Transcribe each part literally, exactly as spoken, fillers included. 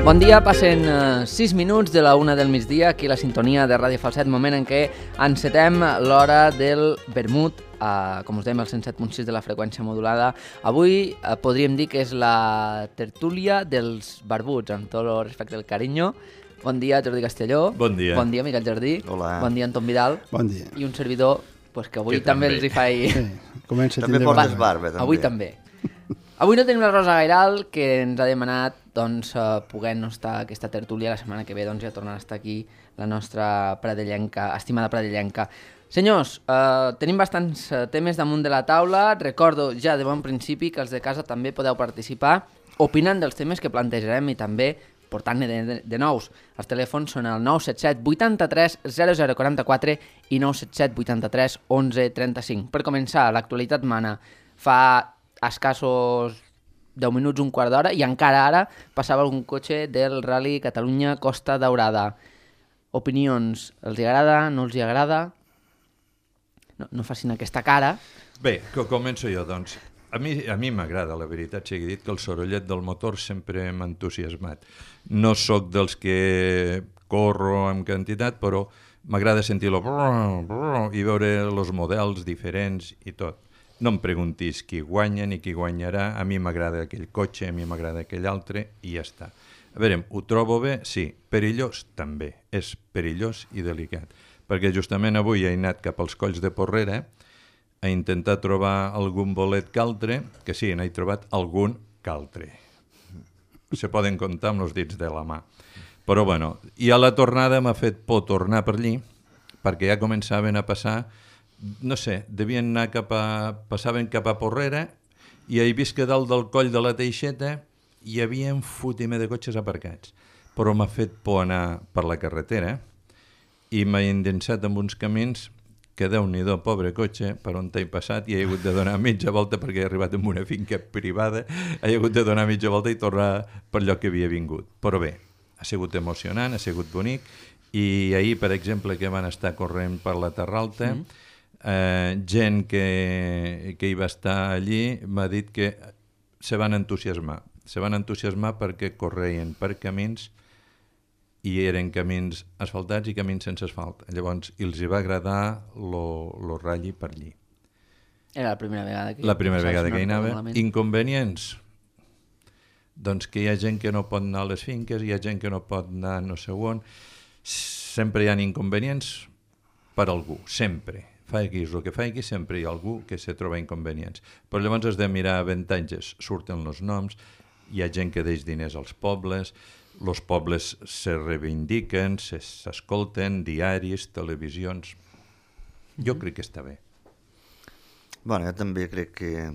Bon dia, passen sis uh, minuts de la una del migdia, aquí la sintonia de Ràdio Falset, moment en què encetem l'hora del vermut, uh, com us dèiem, el cent set punt sis de la freqüència modulada. Avui uh, podríem dir que és la tertúlia dels barbuts, amb tot el respecte del carinyo. Bon dia, Jordi Castelló. Bon dia. Bon dia, Miquel Jardí. Hola. Bon dia, Anton Vidal. Bon dia. I un servidor, pues, que avui que també, també els hi faig... Sí, comença a També tindre portes barba. barba, també. Avui també. Avui no tenim la Rosa Gairal, que ens ha demanat doncs, uh, poder no estar aquesta tertúlia. La setmana que ve doncs, ja tornarà a estar aquí la nostra pradellenca, estimada pradellenca. Senyors, uh, tenim bastants uh, temes damunt de la taula. Recordo ja de bon principi que els de casa també podeu participar opinant dels temes que plantejarem i també portant-ne de, de, de nous. Els telèfons són el nou set set vuitanta-tres zero zero quaranta-quatre i nou set set vuitanta-tres onze trenta-cinc. Per començar, l'actualitat mana. Fa escassos deu minuts, un quart d'hora, i encara ara passava algun cotxe del Rally Catalunya Costa Daurada. Opinions, els hi agrada, no els hi agrada? No, no facin aquesta cara. Bé, que començo jo, doncs. A mi a mi m'agrada, la veritat sigui dit, que el sorollet del motor sempre m'ha entusiasmat. No sóc dels que corro en quantitat, però m'agrada sentir-lo i veure els models diferents i tot. No em preguntis qui guanya ni qui guanyarà, a mi m'agrada aquell cotxe, a mi m'agrada aquell altre i ja està. A veure, ho trobo bé? Sí. Perillós? També. És perillós i delicat. Perquè justament avui he anat cap als colls de Porrera a intentar trobar algun bolet caltre, que sí, n'he trobat algun caltre. Se poden comptar amb els dits de la mà. Però bueno, i a la tornada m'ha fet por tornar per allí, perquè ja començaven a passar, no sé, devien anar cap a... passaven cap a Porrera i he vist que dalt del coll de la Teixeta hi havia un fotimer de cotxes aparcats. Però m'ha fet por anar per la carretera i m'he endensat amb uns camins que Déu-n'hi-do, pobre cotxe, per on t'he passat i he hagut de donar mitja volta perquè he arribat en una finca privada, he hagut de donar mitja volta i tornar per lloc que havia vingut. Però bé, ha sigut emocionant, ha sigut bonic i ahir, per exemple, que van estar corrent per la Terra Alta, mm. eh, gent que, que hi va estar allí m'ha dit que se van entusiasmar. Se van entusiasmar perquè correien per camins i eren camins asfaltats i camins sense asfalt. Llavors, els hi va agradar lo, lo ratlli per allí. Era la primera vegada que... La primera vegada que hi anava. Malament. Inconvenients? Doncs que hi ha gent que no pot anar a les finques, hi ha gent que no pot anar no sé on. Sempre hi ha inconvenients per algú, sempre. Faiguis el que faiguis, sempre hi ha algú que se troba inconvenients. Però llavors has de mirar avantatges. Surten els noms, hi ha gent que deix diners als pobles, els pobles se reivindiquen, s'escolten, diaris, televisions. Jo crec que està bé. Bueno, jo també crec que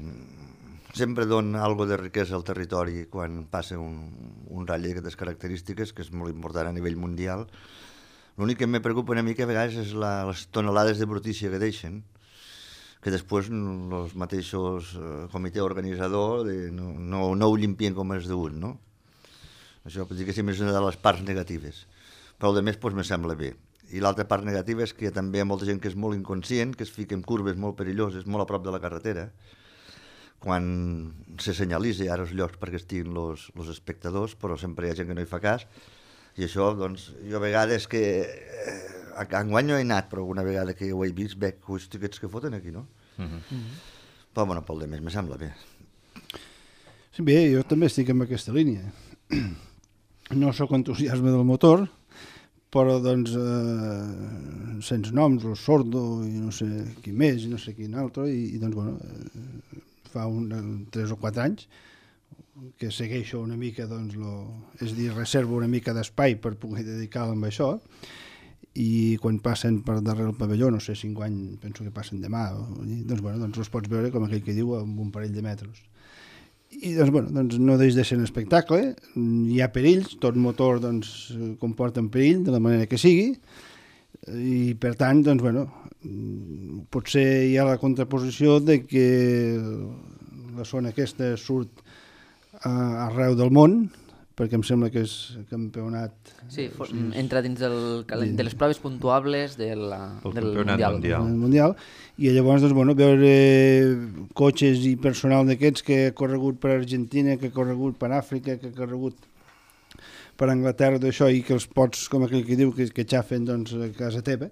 sempre dona algo de riquesa al territori quan passa un, un ratll d'aquestes característiques, que és molt important a nivell mundial. L'únic que me preocupa una mica a vegades és la, les tonelades de brutícia que deixen, que després els mateixos eh, comitè organitzador de, no, no, no ho limpien com és degut, no? Això pot dir que sí, és una de les parts negatives. Però el de més doncs, me sembla bé. I l'altra part negativa és que també hi ha molta gent que és molt inconscient, que es fica en curves molt perilloses, molt a prop de la carretera, quan se senyalitza ara els llocs perquè estiguin els espectadors, però sempre hi ha gent que no hi fa cas. I això, doncs, jo a vegades que... Eh, enguany no he anat, però alguna vegada que ho he vist, veig aquests que foten aquí, no? Mm-hmm. Mm-hmm. Però, bueno, pel de més, me sembla bé. Sí, bé, jo també estic en aquesta línia. No sóc entusiasme del motor, però doncs eh, sense noms, el Sordo i no sé qui més i no sé quin altre, i, i doncs bueno, eh, fa un, tres o quatre anys que segueixo una mica, doncs, lo, és dir, reservo una mica d'espai per poder dedicar-me a això, i quan passen per darrere el pavelló, no sé, cinc anys, penso que passen demà, doncs, bueno, doncs els pots veure, com aquell que diu, amb un parell de metres. I doncs, bueno, doncs no deix de ser un espectacle, hi ha perills, tot motor doncs, comporta un perill de la manera que sigui, i per tant, doncs, bueno, potser hi ha la contraposició de que la zona aquesta surt a, arreu del món, perquè em sembla que és campionat... Sí, for, entra dins del, de les proves puntuables de la, del Mundial. mundial. mundial. I llavors, doncs, bueno, veure cotxes i personal d'aquests que ha corregut per Argentina, que ha corregut per Àfrica, que ha corregut per Anglaterra d'això i que els pots, com aquell que diu, que, que xafen doncs, a casa teva,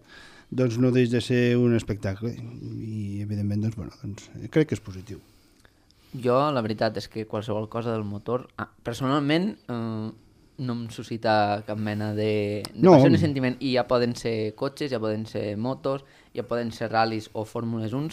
doncs no deix de ser un espectacle. I, evidentment, doncs, bueno, doncs, crec que és positiu. Jo, la veritat és que qualsevol cosa del motor, ah, personalment, eh, no em suscita cap mena de, de No. passió ni sentiment. I ja poden ser cotxes, ja poden ser motos, ja poden ser ral·lis o fórmules un.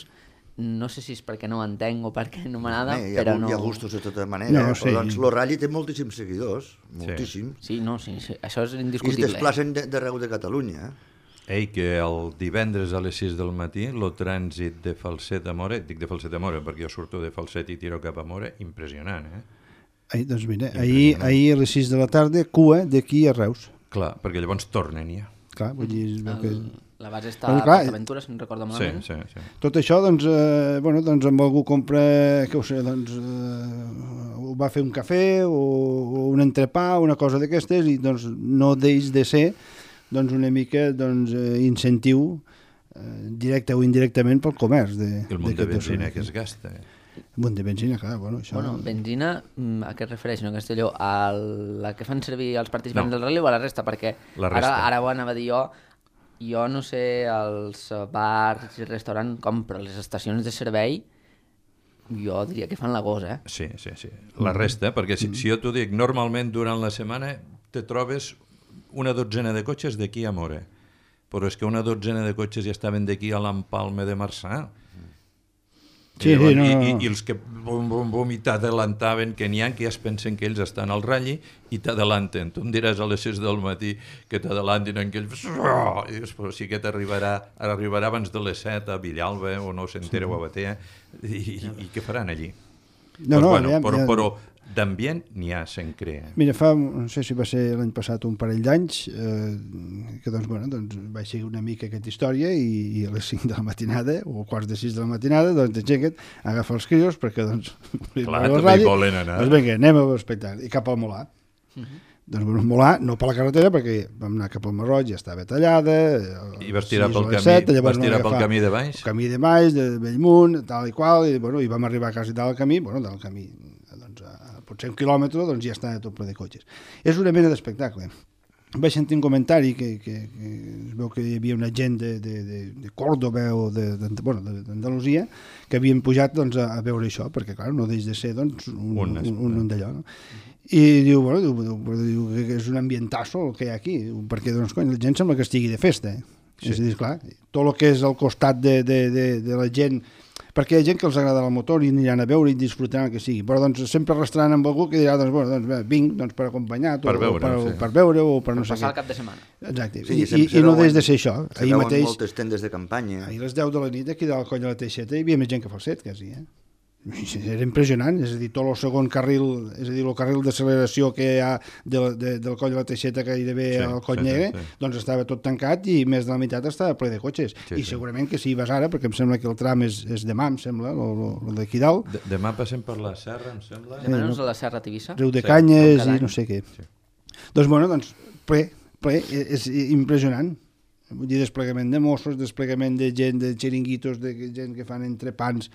No sé si és perquè no ho entenc o perquè no m'agrada, Bé, hi ha, però gu- no... hi ha gustos de tota manera, No, no, sí. però doncs el Rally té moltíssims seguidors, moltíssim, Sí, no, sí, sí, això és i es indiscutible. desplacen de- d'arreu de Catalunya. Eh? Ei, que el divendres a les sis del matí, el trànsit de Falset a Mora, dic de Falset a Mora perquè jo surto de Falset i tiro cap a Mora, impressionant, eh? Ahir, doncs mira, ahir, ahir a les sis de la tarda, cua d'aquí a Reus. Clar, perquè llavors tornen ja. Clar, vull dir, es veu que... El, la base està Però, a clar, PortAventura, si no recordo Sí, malament. sí, sí. Tot això, doncs, eh, bueno, doncs amb algú compra, què ho sé, doncs, eh, o va fer un cafè o, o un entrepà, una cosa d'aquestes, i doncs no deix de ser doncs, una mica doncs, eh, incentiu eh, directe o indirectament pel comerç. De, El munt de d'aquest benzina personatge. que es gasta. Eh? Un munt de benzina, clar, bueno, això... Bueno, benzina, mm, a què es refereix, no, Castelló? A la que fan servir els participants No. del rally o a la resta? Perquè La resta. ara, ara ho anava a dir jo, jo no sé els bars i restaurants com, però les estacions de servei jo diria que fan la gosa, eh? Sí, sí, sí. La resta, perquè si, si jo t'ho dic, normalment durant la setmana te trobes una dotzena de cotxes d'aquí a Mora, però és que una dotzena de cotxes ja estaven d'aquí a l'Empalme de Marçà. Sí, I, llavors, sí, no, i, no, i, no. i els que bum, bum, bum, i t'adelantaven, que n'hi ha que ja es pensen que ells estan al ratll i t'adelanten. Tu em diràs a les sis del matí que t'adelantin en aquells... I dius, però sí que t'arribarà arribarà abans de les set a Villalba o no s'entera o a Batea i, i, i què faran allí? No, no, pues, bueno, aviam, però, ja- però d'ambient n'hi ha, se'n crea. Mira, fa, no sé si va ser l'any passat un parell d'anys, eh, que doncs, bueno, doncs vaig seguir una mica aquesta història i, i a les cinc de la matinada, o quarts de sis de la matinada, doncs t'aixeca't, agafa els crios, perquè doncs... Clar, el també radi, hi volen anar. Doncs vinga, anem a l'espectacle, i cap al Molà. Doncs bueno, Molà, no per la carretera, perquè vam anar cap al Marroig, ja estava tallada... I vas tirar sis pel o les camí, set, llavors vas vam tirar pel agafar camí de baix? el camí de baix, de Bellmunt, tal i qual, i, bueno, i vam arribar quasi dalt del camí, bueno, dalt del camí, doncs, a, potser un quilòmetre, doncs ja està tot ple de cotxes. És una mena d'espectacle. Vaig sentir un comentari que, que, que es veu que hi havia una gent de, de, de, de Córdoba o de, de, bueno, d'Andalusia que havien pujat doncs, a, a veure això, perquè clar, no deix de ser doncs, un, Un un, un, un d'allò. No? I diu, bueno, diu, diu que és un ambientasso el que hi ha aquí, perquè doncs, cony, la gent sembla que estigui de festa. Eh? Sí. És a dir, clar, tot el que és al costat de, de, de, de la gent, perquè hi ha gent que els agrada el motor i aniran a veure i disfrutaran el que sigui, però doncs sempre restaran amb algú que dirà, doncs, bueno, doncs, bé, vinc doncs, per acompanyar Per o, veure, o per, sí. per veure o per no Per sé passar què. el cap de setmana. Exacte, Sí, I, sempre i, se i no veuen- des de ser això. Se Ahir veuen mateix, moltes tendes de campanya. ahir a les deu de la nit aquí dalt al coll de la Teixeta hi havia més gent que Falset, quasi, eh? Era impressionant, és a dir, tot el segon carril, és a dir, el carril d'acceleració que hi ha de, la- de, del coll de la Teixeta que gairebé Sí, al coll sí, negre, sí, sí. doncs estava tot tancat i més de la meitat estava ple de cotxes. Sí, I sí. segurament que si hi vas ara, perquè em sembla que el tram és, és demà, em sembla, el d'aquí dalt, De, demà passem per la serra, em sembla. Demanem-nos a la Serra Tivissa. Riu de Sí, Canyes com cada i no any. sé què. Sí. Doncs, bueno, doncs, ple, ple, és, és impressionant. Vull dir, desplegament de Mossos, desplegament de gent, de xiringuitos, de gent que fan entrepans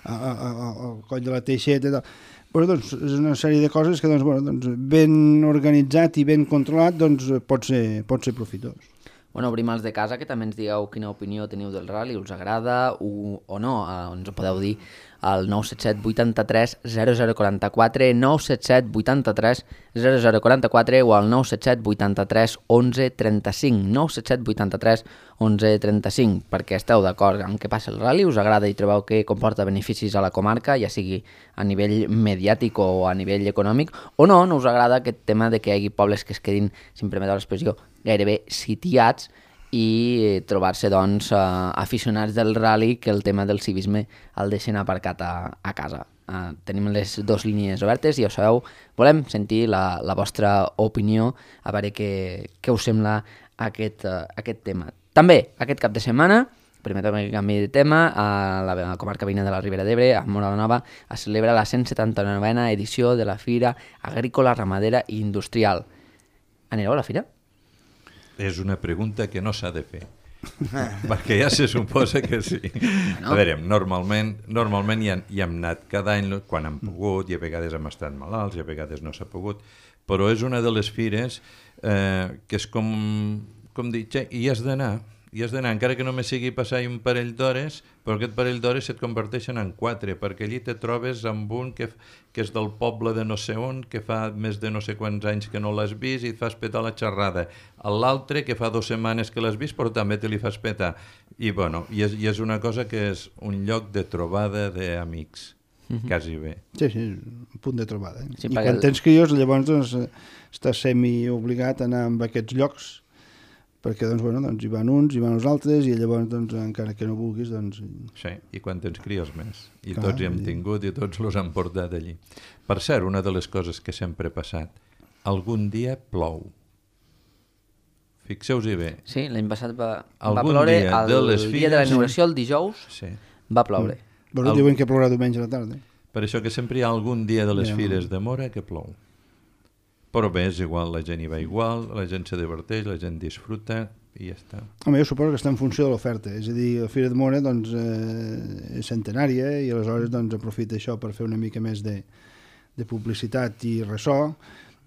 a- a- a- al coll de la Teixeta i tal. Bueno, doncs, és una sèrie de coses que, doncs, bueno, doncs, ben organitzat i ben controlat, doncs, pot ser, pot ser profitós. Bueno, obrim els de casa, que també ens digueu quina opinió teniu del rally, us agrada o, o no, eh, ens ho podeu dir al nou set set vuitanta-tres zero zero quaranta-quatre, nou set set vuitanta-tres zero zero quaranta-quatre o al nou set set vuitanta-tres onze trenta-cinc, nou set set vuitanta-tres onze trenta-cinc, perquè esteu d'acord amb què passa el rally, us agrada i trobeu que comporta beneficis a la comarca, ja sigui a nivell mediàtic o a nivell econòmic, o no, no us agrada aquest tema de que hi hagi pobles que es quedin, si em permeteu l'expressió, gairebé sitiats i trobar-se doncs eh, aficionats del rally que el tema del civisme el deixen aparcat a, a casa. Eh, tenim les dues línies obertes i ja ho sabeu, volem sentir la, la vostra opinió, a veure què, què us sembla aquest, uh, aquest tema. També, aquest cap de setmana, permeteu que canvi de tema, a la comarca veïna de la Ribera d'Ebre, a Móra la Nova, es celebra la cent setanta-novena edició de la Fira Agrícola, Ramadera i Industrial. Anireu a la fira? És una pregunta que no s'ha de fer. Perquè ja se suposa que sí. No. A veure, normalment, normalment hi, han, hi hem anat cada any quan hem pogut, i a vegades hem estat malalts, i a vegades no s'ha pogut, però és una de les fires eh, que és com, com dir, xe, hi has d'anar, hi has d'anar, encara que només sigui passar un parell d'hores, però aquest parell d'hores se't converteixen en quatre, perquè allí te trobes amb un que, que és del poble de no sé on, que fa més de no sé quants anys que no l'has vist i et fas petar la xerrada. L'altre que fa dues setmanes que l'has vist, però també te li fas petar. I, bueno, i, és, i és una cosa que és un lloc de trobada d'amics, mm-hmm. quasi bé. Sí, sí, un punt de trobada. Eh? Sí, I quan el... tens crios, llavors doncs, estàs semi-obligat a anar a aquests llocs, perquè doncs, bueno, doncs, hi van uns, hi van els altres, i llavors, doncs, encara que no vulguis... Doncs... Sí, i quan tens crios més. I clar, tots hi hem tingut i tots els han portat allí. Per cert, una de les coses que sempre he passat, algun dia plou. Fixeu-vos-hi bé. Sí, l'any passat va, va Algun ploure, dia el de les dia de la fires- inauguració, el dijous, Sí. va ploure. Bueno, El- diuen que plourà diumenge a la tarda. Per això que sempre hi ha algun dia de les Ja. fires de Mora que plou. Però bé, és igual, la gent hi va igual, la gent se diverteix, la gent disfruta i ja està. Home, jo suposo que està en funció de l'oferta. És a dir, la Fira de Mora doncs, eh, és centenària i aleshores doncs, aprofita això per fer una mica més de, de publicitat i ressò.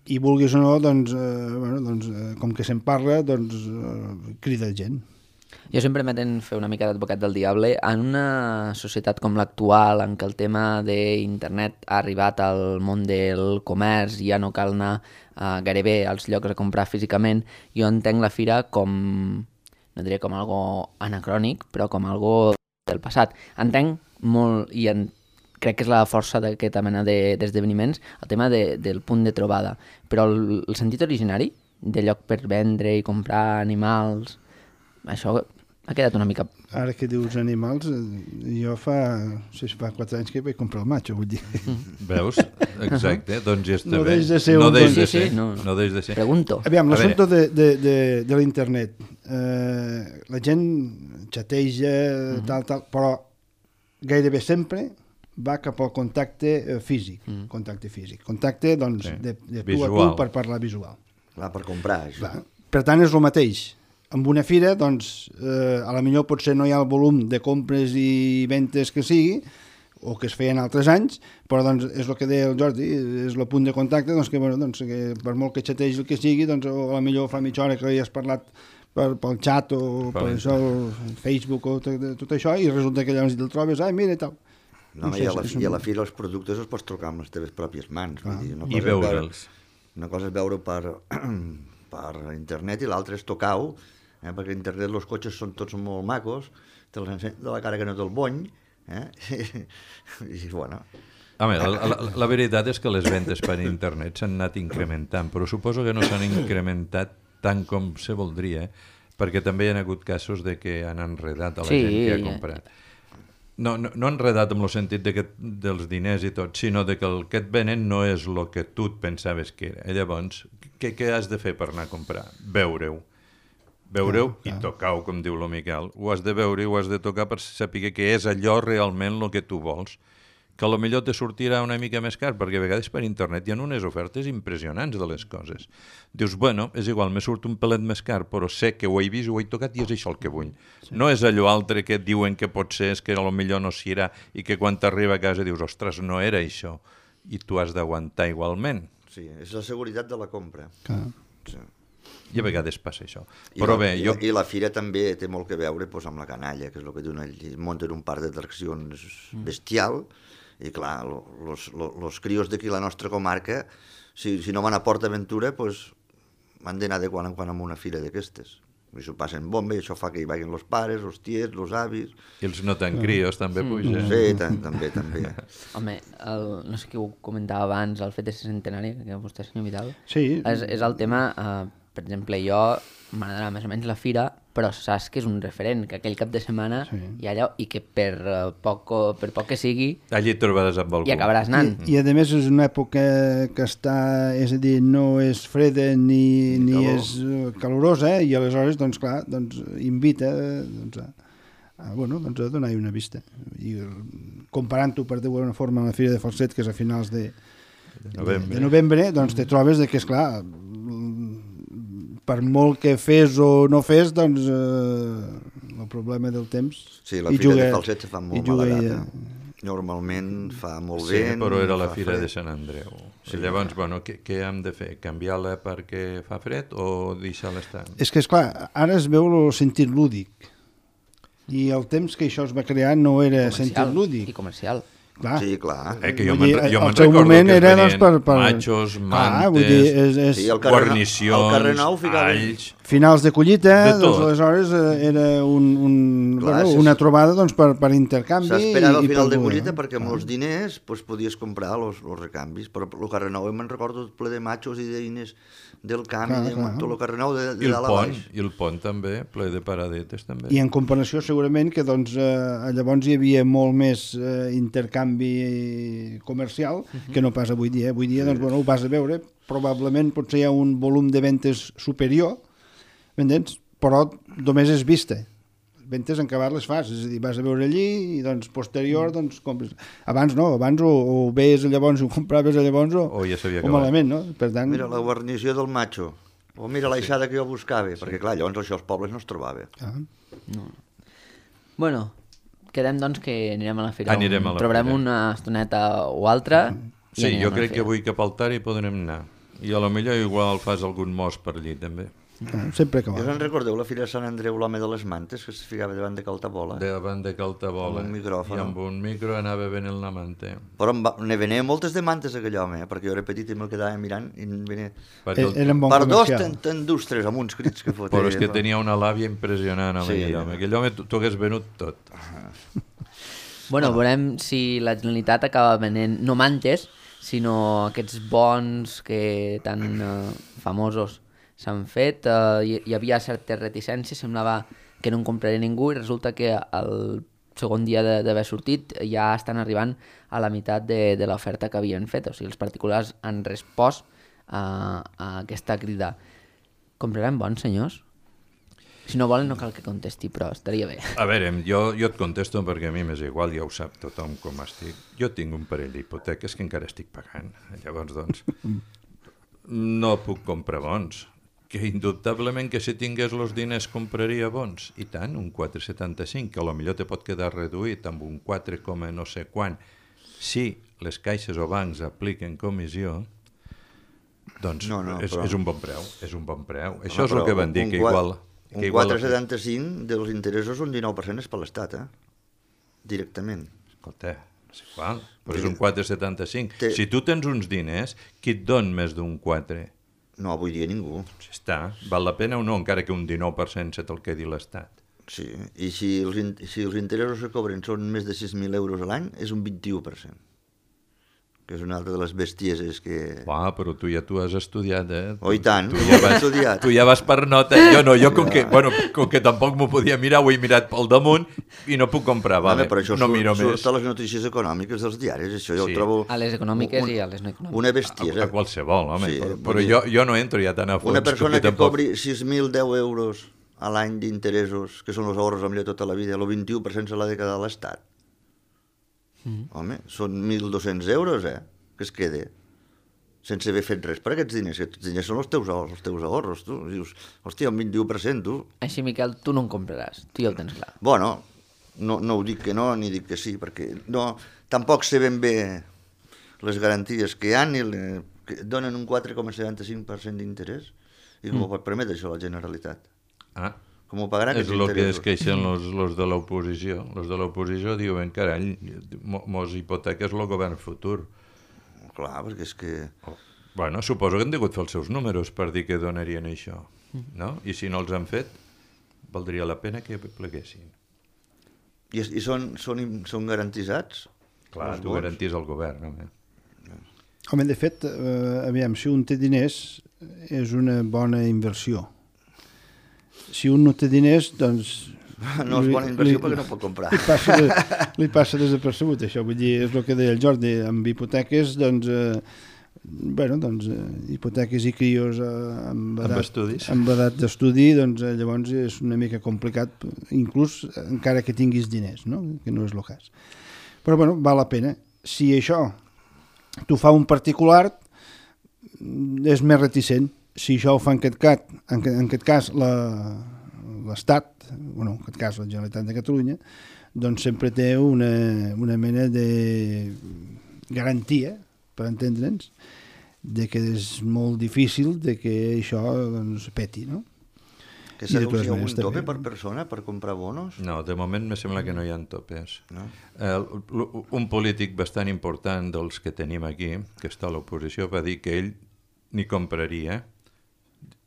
I vulguis o no, doncs, eh, bueno, doncs, eh, com que se'n parla, doncs, eh, crida gent. Jo sempre m'atent fer una mica d'advocat del diable. En una societat com l'actual, en què el tema d'internet ha arribat al món del comerç i ja no cal anar uh, gairebé als llocs a comprar físicament, jo entenc la fira com, no diré com algo anacrònic, però com algo del passat. Entenc molt, i en, crec que és la força d'aquesta mena d'esdeveniments, de, el tema de, del punt de trobada. Però el, el sentit originari de lloc per vendre i comprar animals, això ha quedat una mica... Ara que dius animals, eh, jo fa, no sé si fa quatre anys que vaig comprar el matxo, vull dir. Veus? Exacte, doncs ja està No bé. deix de ser no un deix bon- de Sí, ser. sí, no. No deix de ser. Pregunto. Aviam, A l'assumpte de, de, de, de l'internet. Eh, la gent xateja, uh-huh. tal, tal, però gairebé sempre va cap al contacte eh, físic. Uh-huh. Contacte físic. Contacte, doncs, Sí. de, de tu Visual. a tu per parlar visual. Clar, per comprar, això. Clar. Per tant, és el mateix. Amb una fira, doncs, eh, a la millor potser no hi ha el volum de compres i ventes que sigui, o que es feien altres anys, però doncs, és el que deia el Jordi, és el punt de contacte, doncs, que, bueno, doncs, que per molt que xategi el que sigui, doncs, o a la millor fa mitja hora que hi has parlat per, pel xat o per, per això, el Facebook o tot, tot això, i resulta que llavors te'l trobes, ai, mira, i tal. No, No no sé, i, a la, és I a un- la fira els productes els pots trucar amb les teves pròpies mans. Ah. Vull dir, una I cosa és veure- veure'ls. Una cosa és veure per, per internet i l'altra és tocar-ho, eh? Perquè a internet els cotxes són tots molt macos, te els ensenya de la cara que no te'l bony, eh? I, i bueno... Home, la, la, la veritat és que les ventes per internet s'han anat incrementant, però suposo que no s'han incrementat tant com se voldria, perquè també hi ha hagut casos de que han enredat a la Sí, gent que ha ja. comprat. No, no, no enredat en el sentit de que, dels diners i tot, sinó de que el que et venen no és el que tu et pensaves que era. I llavors, què, què has de fer per anar a comprar? Veure-ho. Veure-ho i tocar-ho, com diu el Miquel. Ho has de veure i ho has de tocar per saber que és allò realment el que tu vols. Que potser te sortirà una mica més car, perquè a vegades per internet hi ha unes ofertes impressionants de les coses. Dius, bueno, és igual, me surt un pelet més car, però sé que ho he vist, ho he tocat i és això el que vull. Sí. No és allò altre que et diuen que potser és que potser no s'hi irà i que quan t'arriba a casa dius, ostres, no era això. I tu has d'aguantar igualment. Sí, és la seguretat de la compra. Clar. Sí. I a vegades passa això. I Però la, bé, jo... I la fira també té molt que veure doncs, amb la canalla, que és el que diuen ells. Munten un parc d'atraccions bestial, i clar, els crios d'aquí la nostra comarca, si, si no van a Port Aventura, doncs, han d'anar de quan en quan a una fira d'aquestes. I s'ho passen bomba i això fa que hi vagin els pares, els tiets, els avis... I els no tan crios també pugen. Sí, tam també, també. Home, el, no sé qui ho comentava abans, el fet de ser centenari, que vostè, senyor Vidal, Sí. és, és el tema, eh, per exemple, jo m'agradarà més o menys la fira, però saps que és un referent, que aquell cap de setmana Sí. hi ha allò, i que per, uh, poc, per poc que sigui, Allí et trobaràs amb algú. hi acabaràs anant. I, I a més és una època que està, és a dir, no és freda ni, ni calor. és eh, calorosa, eh? I aleshores, doncs clar, doncs, invita doncs, a, a, bueno, doncs, a donar-hi una vista. I eh, comparant-ho per dir-ho d'alguna forma amb la Fira de Falset, que és a finals de, De novembre. de novembre, doncs te trobes de que, esclar, per molt que fes o no fes, doncs eh, el problema del temps Sí, la hi Fira juga- de Falset se fa hi molt juga mala i, data. Normalment fa molt Sí, vent... però era la fa Fira fred. de Sant Andreu. Sí. Llavors, bueno, què, què hem de fer? Canviar-la perquè fa fred o deixar-la estar? És que, esclar, ara es veu el sentit lúdic. I el temps que això es va crear no era sentit Comercial, lúdic. i comercial. Clar. Sí, clar. Eh, que jo Vull me'n dir, jo al me'n seu recordo moment que era, venien doncs, per- per- matxos, Ah, vull mantes, dir, és, és Sí, al carrer, guarnicions, al carrer Nou ficava... alls... finals de collita, De tot. doncs aleshores eh, era un, un, Clar, bueno, sí, una sí. trobada doncs, per, per intercanvi. S'esperava i, al final i de per collita poder, perquè amb clar. els diners pues, podies comprar els recanvis, però el carrer Nou me'n recordo ple de matxos i d'eines del camp, Clar, i de clar. tot el carrer Nou de, I de el dalt a pont, baix. i el pont també, ple de paradetes també. I en comparació segurament que doncs, eh, llavors hi havia molt més eh, intercanvi comercial uh-huh. que no pas avui dia. Avui dia sí. doncs, bueno, ho vas a veure, probablement potser hi ha un volum de ventes superior, m'entens? Però només és vista. Ventes en acabat les fas, és a dir, vas a veure allí i doncs posterior doncs compres. Abans no, abans o, o veies llavors o compraves llavors o, O ja s'havia o acabat. malament, no? Per tant, Mira la guarnició del matxo, o mira l'aixada que jo buscava, sí. perquè clar, llavors això als pobles no es trobava. ah, Bueno, quedem doncs que anirem a la fira. Anirem a la Trobarem fira. una estoneta o altra. i Sí, anirem jo a la crec que fira. avui cap al Tari podrem anar. I a lo millor igual fas algun mos per allí també. ah, sempre que Ja va. us en recordeu la Fira de Sant Andreu, l'home de les mantes, que es ficava davant de Caltabola? Davant de Caltabola. Amb un micròfon. I amb un micro anava venent la manta. Però em va, ne venia moltes de mantes aquell home, eh? perquè jo era petit i me'l quedava mirant i em venia... Perquè el... Eh, Era un bon per dos comercial. t'endustres amb uns crits que fotia. Però és que tenia una làbia impressionant, home, Sí. aquell home. Aquell home t'ho hagués venut tot. Bueno, veurem si la Generalitat acaba venent, no mantes, sinó aquests bons que tan eh, famosos s'han fet. Eh, hi, hi havia certes reticències, semblava que no en compraria ningú i resulta que el segon dia de- d'haver sortit ja estan arribant a la meitat de, de l'oferta que havien fet. O sigui, els particulars han respost a, a aquesta crida. Comprarem bons, senyors? Si no volen no cal que contesti, però estaria bé. A veure, jo, jo et contesto perquè a mi m'és igual, ja ho sap tothom com estic. Jo tinc un parell d'hipoteques que encara estic pagant. Llavors, doncs, no puc comprar bons. Que indubtablement que si tingués els diners compraria bons. I tant, un quatre coma setanta-cinc, que potser te pot quedar reduït amb un quatre, no sé quant. Si les caixes o bancs apliquen comissió, doncs No, no, és, però- és un bon preu. És un bon preu. Home, Això és el però que van dir, un que qua- igual... Un que igual quatre coma setanta-cinc dels interessos, un dinou per cent és per l'Estat, eh? Directament. Escolta, és igual, però és un quatre coma setanta-cinc. Té- Si tu tens uns diners, qui et don més d'un quatre? No, avui dia ningú. Si està, val la pena o no, encara que un dinou per cent se te'l quedi l'Estat. Sí, i si els, in- si els interessos que cobren són més de sis mil euros a l'any, és un vint-i-u per cent. Que és una altra de les bestieses que... Uah, però tu ja tu has estudiat, eh? Oh, i tant, Tu ja he vas, estudiat. tu ja vas per nota. Jo no, jo com que, bueno, com que tampoc m'ho podia mirar, ho he mirat pel damunt i no puc comprar, vale? Home, però això no surt, miro surt més. a les notícies econòmiques dels diaris, això jo Sí. ho trobo... A les econòmiques un- i a les no econòmiques. Una A, bestiesa. a qualsevol, home. Sí, però vull però dir- jo, jo no entro ja tan a fons. Una persona com que tampoc... cobri sis mil deu euros a l'any d'interessos, que són els ahorros amb tota la vida, el vint-i-u per cent se l'ha de quedar a l'Estat. Mm. Home, són mil dos-cents euros, eh?, que es quede, sense haver fet res per aquests diners. Aquests diners són els teus, ahorros, els teus ahorros, tu. Dius, hòstia, un vint-i-u per cent, tu. Així, Miquel, tu no en compraràs, tu ja ho tens clar. Bueno, no, no ho dic que no, ni dic que sí, perquè no, tampoc sé ben bé les garanties que hi ha, ni le, que donen un quatre coma setanta-cinc per cent d'interès, i com mm. ho pot permetre això la Generalitat? Ah, Com ho pagarà és aquests el que es interessos? queixen los, los de l'oposició. Los de l'oposició diuen, carai, mo- mos hipoteques el govern futur. Clar, perquè és que... Oh. Bueno, suposo que han degut fer els seus números per dir que donarien això, no? I si no els han fet, valdria la pena que pleguessin. I, i són, són, són garantitzats? Clar, els tu bons? garantís el govern, home. Home, de fet, eh, aviam, si un té diners és una bona inversió. Si un no té diners, doncs... No és li- bona inversió li- perquè no pot comprar. Li passa, de, li passa desapercebut, això. Vull dir, és el que deia el Jordi, amb hipoteques, doncs... Eh, bueno, doncs, eh, hipoteques i crios eh, amb, Amb edat, estudis. amb edat d'estudi, doncs eh, llavors és una mica complicat, inclús encara que tinguis diners, no? Que no és el cas. Però, bueno, val la pena. Si això t'ho fa un particular, és més reticent. Si això ho fa en aquest cas, en, en aquest cas la, l'Estat, bueno, en aquest cas la Generalitat de Catalunya, doncs sempre té una, una mena de garantia, per entendre'ns, de que és molt difícil de que això doncs, peti, no? Que I de totes s'anuncia maneres un tope també. per persona per comprar bonos? No, de moment me sembla que no hi ha topes. No? Eh, l- un polític bastant important dels que tenim aquí, que està a l'oposició, va dir que ell ni compraria.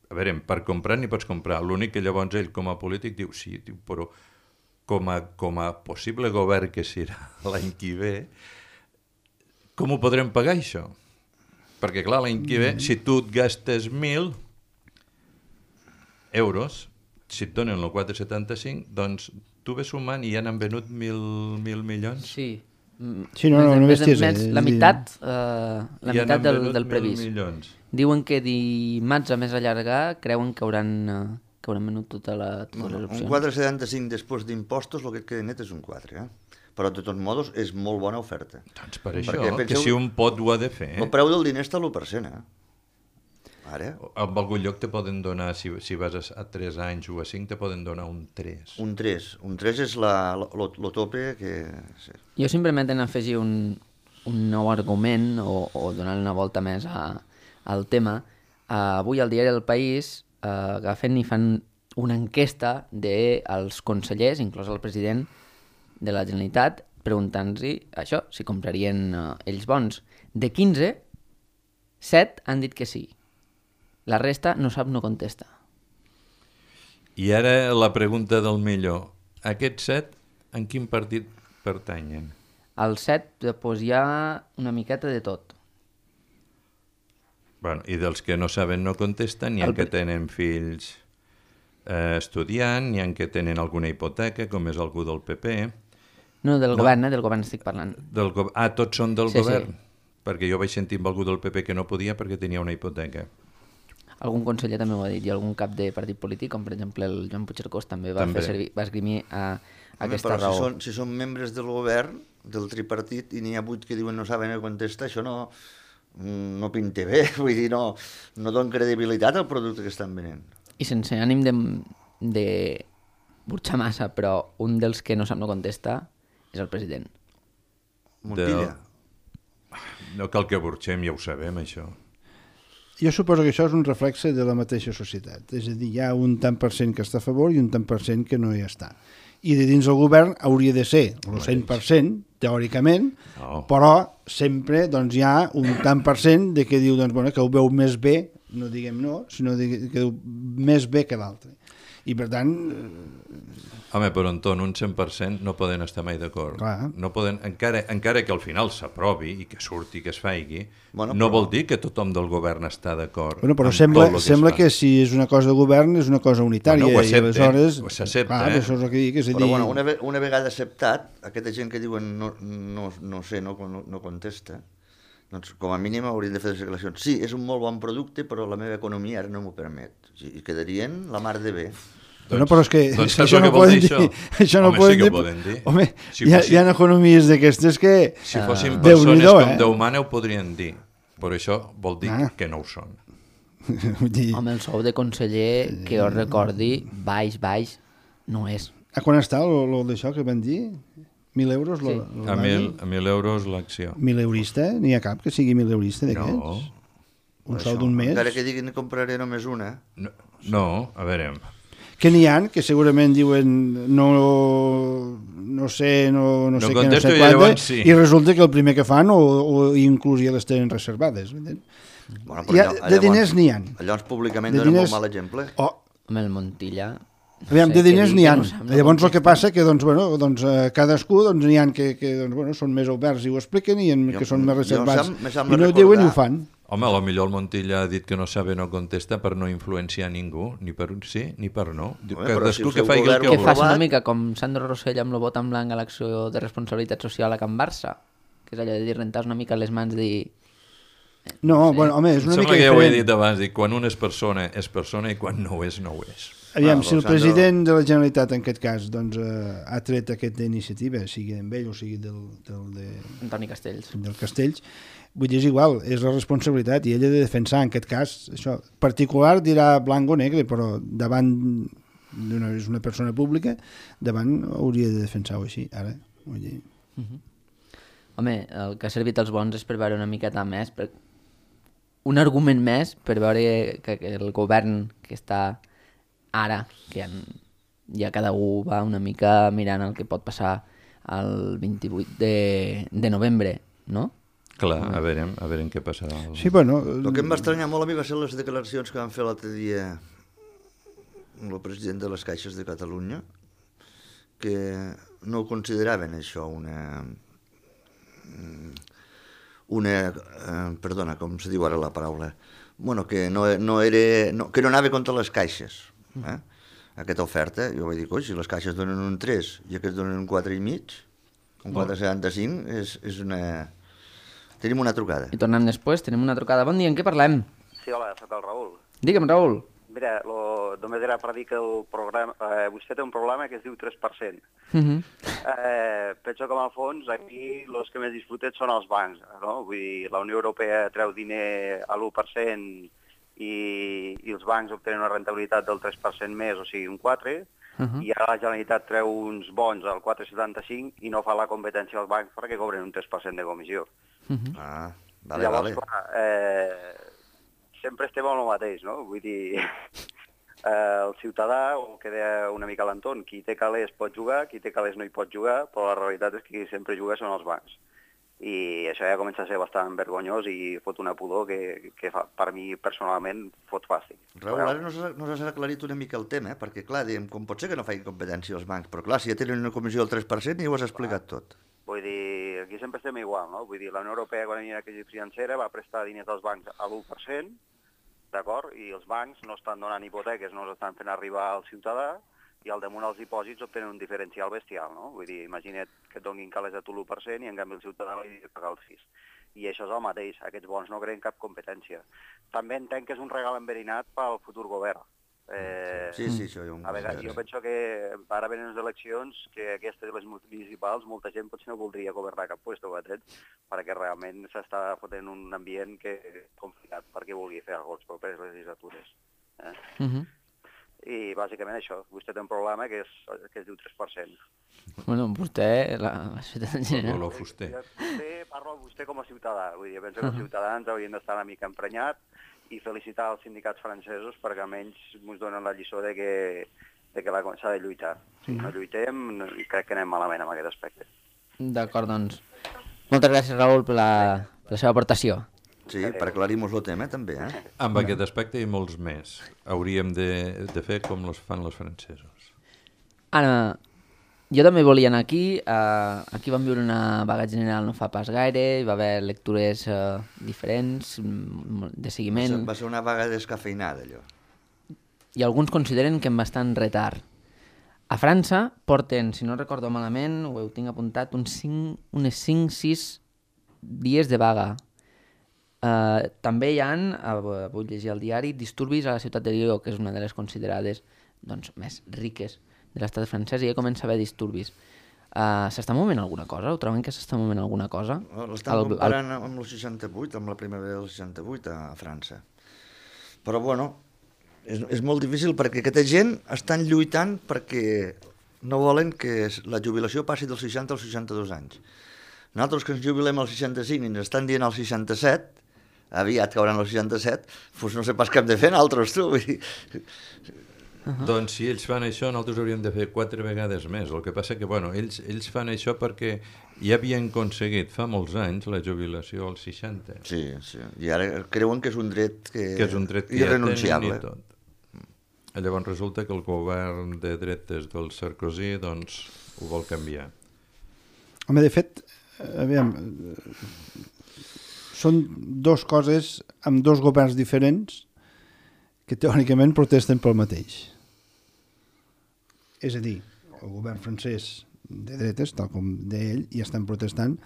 A veure, per comprar ni pots comprar. L'únic que llavors ell com a polític diu, sí, diu, però com a, com a possible govern que serà l'any que ve, com ho podrem pagar això? Perquè clar, l'any que ve, si tu et gastes mil euros, si et donen el quatre coma setanta-cinc, doncs tu ves sumant i ja n'han venut mil, mil milions. Sí. Mm, Sí, no, no, més- no més- besties, més- eh? La És a dir- meitat, eh, la Ja meitat n'han del, venut del mil previst. milions. Diuen que dimarts a més allargar creuen que hauran, eh, que hauran venut tota la, totes Bueno, les un opcions. quatre coma setanta-cinc després d'impostos, el que et queda net és un quatre, eh? Però de tots modos és molt bona oferta. Doncs per Perquè això, que penseu- si un pot ho ha de fer. El preu del diner està a l'u per cent, eh? Ara, En algun lloc te poden donar, si, si vas a, a tres anys o a cinc, te poden donar un tres. un tres. Un tres és la, lo, lo tope que... Sí. Jo simplement en afegir un, un nou argument o, o donar una volta més a, al tema. Uh, avui al diari El País uh, agafen i fan una enquesta dels consellers, inclòs el president de la Generalitat, preguntant-los això, si comprarien uh, ells bons. De quinze, set han dit que sí. La resta no sap, no contesta. I ara la pregunta del millor. Aquests set, en quin partit pertanyen? Al set, doncs, hi ha una miqueta de tot. Bueno, i dels que no saben no contesten, n'hi ha El que pri- tenen fills eh, estudiant, n'hi ha que tenen alguna hipoteca, com és algú del P P. No, del no. govern, eh? Del govern estic parlant. Del go... Ah, tots són del Sí, govern? sí. Perquè jo vaig sentir amb algú del P P que no podia perquè tenia una hipoteca. Algun conseller també ho ha dit, i algun cap de partit polític, com per exemple el Joan Puigcercós, també va També. fer servir, va esgrimir a, a Home, aquesta però raó. si són, si són membres del govern, del tripartit, i n'hi ha vuit que diuen no saben no contestar, això no, no pinta bé, vull dir, no, no donen credibilitat al producte que estan venent. I sense ànim de, de burxar massa, però un dels que no sap no contesta és el president. Montilla. No cal que burxem, ja ho sabem, això. Jo suposo que això és un reflexe de la mateixa societat. És a dir, hi ha un tant per cent que està a favor i un tant per cent que no hi està. I de dins del govern hauria de ser el cent per cent, teòricament, No. però sempre doncs, hi ha un tant per cent de que diu doncs, bueno, que ho veu més bé, no diguem no, sinó que diu més bé que l'altre. I per tant, Home, però Anton, un cent per cent no poden estar mai d'acord. Clar. No poden, encara, encara que al final s'aprovi i que surti, que es faigui, Bueno, no però- vol dir que tothom del govern està d'acord. bueno, però amb sembla, tot el sembla es fa. que si és una cosa de govern és una cosa unitària. Bueno, ho i accepten, aleshores, ho s'accepta, clar, eh? això és el que dic, és a Però dir... bueno, una, ve- una vegada acceptat, aquesta gent que diuen no, no, no sé, no, no, no contesta, doncs com a mínim haurien de fer les declaracions. Sí, és un molt bon producte, però la meva economia ara no m'ho permet. I quedarien la mar de bé. Bueno, però és que doncs això saps el no que vol poden dir, dir. això? Això no Home, poden sí que dir. ho poden dir. Home, Si hi, ha, fossin- hi ha economies d'aquestes que... Si fossin Déu-n'hi-do, persones com eh? Déu mana ho podrien dir, però això vol dir Ah. que no ho són. Vull dir, Home, el sou de conseller, que jo recordi, baix, baix, no és. a quan està lo, lo d'això que van dir? Mil euros? Lo, Sí. lo A van mil, dir? a mil euros l'acció. Mil eurista? N'hi ha cap que sigui mil eurista d'aquests? No, Un Això, sou d'un mes? Encara que diguin que compraré només una. no, no, a veure, Que n'hi ha que segurament diuen no, no sé, no, no, No sé què, no contesto sé i quanta, llavors sí. i resulta que el primer que fan o, o inclús ja les tenen reservades. Bueno, Bueno, Hi ha- de diners n'hi ha. Llavors públicament De donen diners- molt mal exemple. Oh, Home, el Montilla... aviam, sé de què diners dir, n'hi que ha. no sap, no Llavors el que contesta. passa que doncs, bueno, doncs, eh, cadascú doncs, n'hi ha que, que doncs, bueno, són més oberts i ho expliquen i en, Jo- que són més jo em reservats sem- me i sembla no ho diuen i ho recordar- fan. home, a lo millor el Montilla ha dit que no sabe no contesta per no influenciar ningú, ni per sí ni per no. Diu, Home, que però si cadascú el que seu faci el govern que Que ho vulgui. faci una aprovat. mica com Sandro Rossell amb el vot en blanc a l'acció de responsabilitat social a Can Barça, que és allò de dir rentar una mica les mans, dir... No, bueno, home, és Em una sembla mica que ja ho he diferent. dit abans, dic, quan una és persona, és persona i quan no ho és, no ho és. Aviam, Ah, si el Sandro- president de la Generalitat en aquest cas doncs, eh, ha tret aquesta iniciativa, sigui d'en ell o sigui del, del, de, Antoni Castells. del Castells, vull dir, és igual, és la responsabilitat i ell ha de defensar, en aquest cas, això. Particular dirà blanc o negre, però davant d'una, és una persona pública, davant hauria de defensar-ho així, ara. Vull dir... Uh -huh. Home, el que ha servit als bons és per veure una miqueta més, per... un argument més per veure que, que el govern que està ara, que ja, ja cada un va una mica mirant el que pot passar el vint-i-vuit de, de novembre, no? Clar, a veure, a veure què passarà. Sí, bueno... El que em va estranyar molt a mi va ser les declaracions que van fer l'altre dia el president de les Caixes de Catalunya, que no ho consideraven això una... una... Eh, perdona, com se diu ara la paraula? Bueno, que no, no era... No, que no anava contra les caixes, eh? Aquesta oferta. Jo vaig dir, coi, si les caixes donen un tres i aquests donen un quatre i mig, un quatre coma setanta-cinc, és, és una... Tenim una trucada. I tornem després, tenim una trucada. Bon dia, en què parlem? Sí, hola, soc el Raül. Digue'm, Raül. Mira, lo, només era per dir que el programa, eh, vostè té un problema que es diu tres per cent. Uh -huh. eh, penso que, en el fons, aquí els que més disfruten són els bancs, no? Vull dir, la Unió Europea treu diner a l'u per cent i, i els bancs obtenen una rentabilitat del tres per cent més, o sigui, un quatre, uh -huh. i ara la Generalitat treu uns bons al quatre coma setanta-cinc i no fa la competència als bancs perquè cobren un tres per cent de comissió. Uh -huh. Ah, vale, Llavors, vale. clar, eh, sempre estem amb el mateix, no? Vull dir, eh, el ciutadà, o que deia una mica l'Anton, qui té calés pot jugar, qui té calés no hi pot jugar, però la realitat és que qui sempre juga són els bancs. I això ja comença a ser bastant vergonyós i fot una pudor que, que fa, per mi personalment fot fàstic. Raül, ara no s'ha no s'ha aclarit una mica el tema, eh? Perquè clar, diem, com pot ser que no facin competència els bancs, però clar, si ja tenen una comissió del tres per cent ja ho has explicat tot. Vull dir, aquí sempre estem igual, no? Vull dir, la Unió Europea, quan hi havia la crisi financera, va prestar diners als bancs a l'u per cent, d'acord? I els bancs no estan donant hipoteques, no els estan fent arribar al ciutadà, i al damunt els dipòsits obtenen un diferencial bestial, no? Vull dir, imagina't que et donin calés a tu l'u per cent i en canvi el ciutadà li ha de pagar el sis. I això és el mateix, aquests bons no creen cap competència. També entenc que és un regal enverinat pel futur govern. Eh, sí, sí, això hi ha un... A veure, jo penso que ara venen les eleccions, que aquestes, les municipals, molta gent potser no voldria governar cap puesto, perquè realment s'està fotent un ambient que és complicat perquè vulgui fer alguna cosa per les properes legislatures. Eh? Uh -huh. I bàsicament això, vostè té un problema que, és, que es diu tres per cent. Bueno, vostè, la, la ciutat en general. Lo fuster. Vostè parla vostè com a ciutadà, vull dir, penso que els ciutadans haurien d'estar una mica emprenyats i felicitar els sindicats francesos perquè almenys ens donen la lliçó de que, de que s'ha de lluitar. Si no lluitem, crec que anem malament en aquest aspecte. D'acord, doncs. Moltes gràcies, Raül, per la, per la seva aportació. Sí, per aclarir-nos el tema, també, eh? Amb aquest aspecte i molts més. Hauríem de, de fer com els fan els francesos. Ara, jo també volia anar aquí. Uh, aquí vam viure una vaga general no fa pas gaire, hi va haver lectures uh, diferents, de seguiment. Va ser, va ser una vaga descafeinada, allò. I alguns consideren que en bastant retard. A França porten, si no recordo malament, ho heu tinc apuntat, uns cinc, unes cinc sis dies de vaga. Uh, també hi ha, uh, vull llegir al diari, disturbis a la ciutat de Lió, que és una de les considerades doncs, més riques de l'estat francès, i ja comença a haver disturbis. Uh, s'està movent alguna cosa? Ho troben que s'està movent alguna cosa? L'estan comparant el... amb el seixanta-vuit, amb la primavera del seixanta-vuit a, a França. Però, bueno, és, és molt difícil perquè aquesta gent estan lluitant perquè no volen que la jubilació passi dels seixanta als seixanta-dos anys. Nosaltres que ens jubilem als seixanta-cinc i ens estan dient als seixanta-set, aviat cauran als seixanta-set, doncs no sé pas què hem de fer nosaltres, tu. Vull dir... Uh-huh. Doncs si ells fan això, nosaltres hauríem de fer quatre vegades més. El que passa que, bueno, ells, ells fan això perquè ja havien aconseguit fa molts anys la jubilació als seixanta. Sí, sí. I ara creuen que és un dret que, que és un dret que irrenunciable. Ja tenen i tot. Llavors resulta que el govern de dretes del Sarkozy doncs, ho vol canviar. Home, de fet, aviam, són dos coses amb dos governs diferents que teòricament protesten pel mateix. És a dir, el govern francès de dretes, tal com deia ell, i estan protestant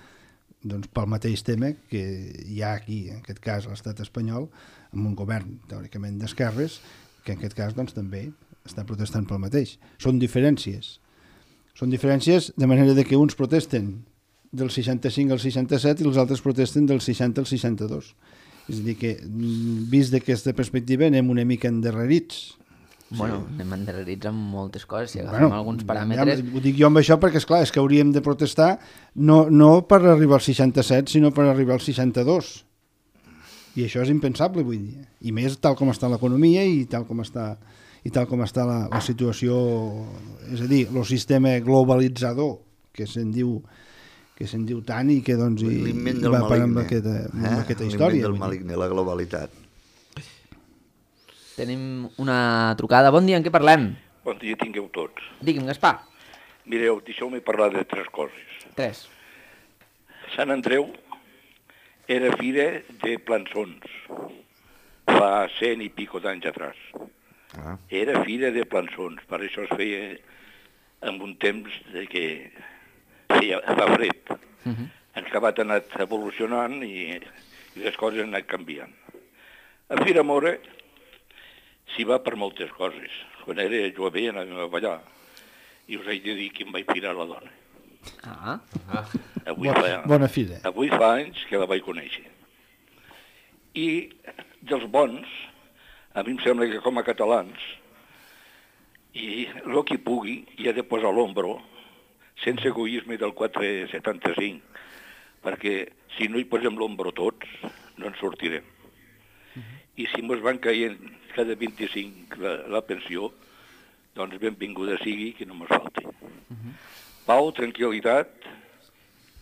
doncs, pel mateix tema que hi ha aquí, en aquest cas, a l'estat espanyol, amb un govern teòricament d'esquerres, que en aquest cas doncs, també està protestant pel mateix. Són diferències. Són diferències de manera de que uns protesten del seixanta-cinc al seixanta-set i els altres protesten del seixanta al seixanta-dos. És a dir que, vist d'aquesta perspectiva, anem una mica endarrerits. Bueno, anem endarrerits amb moltes coses, si agafem Bueno, alguns ja, paràmetres... ho dic jo amb això perquè, esclar, és que hauríem de protestar no, no per arribar al seixanta-set, sinó per arribar al seixanta-dos. I això és impensable, vull dir. I més tal com està l'economia i tal com està, i tal com està la, la situació... És a dir, el sistema globalitzador, que se'n diu que se'n diu tant i que doncs, i, L'invent i del va parar amb maligne. aquesta, amb eh? aquesta història. L'invent del vull dir. maligne, la globalitat. Tenim una trucada. Bon dia, en què parlem? Bon dia tingueu tots. Digui'm, Gaspar. Mireu, deixeu-me parlar de tres coses. Tres. Sant Andreu era fira de plançons, fa cent i pico d'anys atrás. Ah. Era fira de plançons, per això es feia en un temps de que feia, fa fred. Uh -huh. En acabat ha anat evolucionant i, i les coses han anat canviant. A Fira Mora s'hi va per moltes coses. Quan era jove anàvem a ballar i us haig de dir que em vaig firar la dona. Ah. Avui Bona, fa, bona fira. avui fa anys que la vaig conèixer. I dels bons, a mi em sembla que com a catalans, i el que pugui hi ha de posar l'ombro sense egoisme del quatre setanta-cinc, perquè si no hi posem l'ombro tots, no en sortirem. I si mos van caient cada vint-i-cinc la, la pensió, doncs benvinguda sigui, que no mos falti. Pau, tranquil·litat,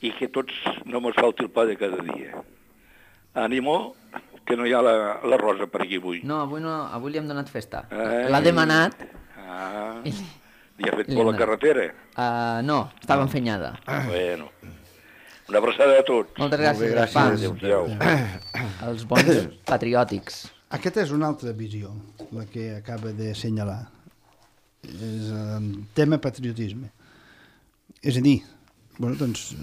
i que tots no mos falti el pa de cada dia. Ànimo, que no hi ha la, la Rosa per aquí avui. No, avui, no, avui li hem donat festa. Ai. L'ha demanat. Ah, I... li ha fet Li por hem la donat. carretera? Uh, no, estava enfenyada. Bueno, una abraçada a tots. Moltes Molt bé, gràcies, gràcies. Gaspar. Adéu-siau. Els bons patriòtics. Aquesta és una altra visió, la que acaba de assenyalar. És el tema patriotisme. És a dir, bueno, doncs,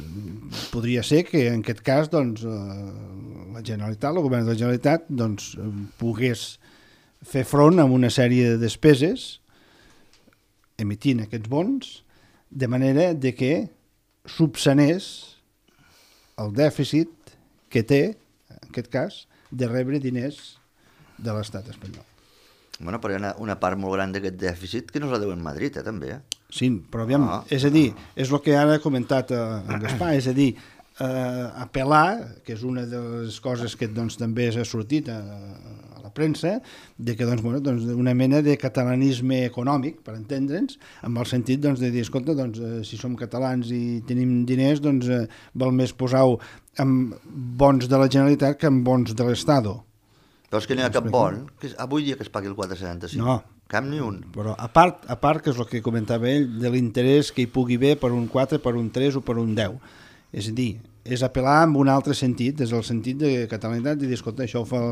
podria ser que en aquest cas doncs, la Generalitat, el govern de la Generalitat, doncs, pogués fer front a una sèrie de despeses emitint aquests bons, de manera de que subsanés el dèficit que té, en aquest cas, de rebre diners de l'estat espanyol. Bueno, però hi ha una, una part molt gran d'aquest dèficit que no se la deuen Madrid, eh, també. Eh? Sí, però aviam, Ah. és a dir, és el que ara ha comentat eh, en Gaspar, és a dir, eh, apel·lar, que és una de les coses que doncs, també s'ha sortit a, a la premsa, de que doncs, bueno, doncs, una mena de catalanisme econòmic, per entendre'ns, amb el sentit doncs, de dir, escolta, doncs, eh, si som catalans i tenim diners, doncs eh, val més posar-ho amb bons de la Generalitat que amb bons de l'Estado. Però és que no hi ha cap bon, que és, avui dia que es pagui el quatre coma setanta-cinc. No. Cap ni un. Però a part, a part, que és el que comentava ell, de l'interès que hi pugui haver per un quatre, per un tres o per un deu. És a dir, és apel·lar en un altre sentit, és el sentit de catalanitat, i dir, escolta, això ho fa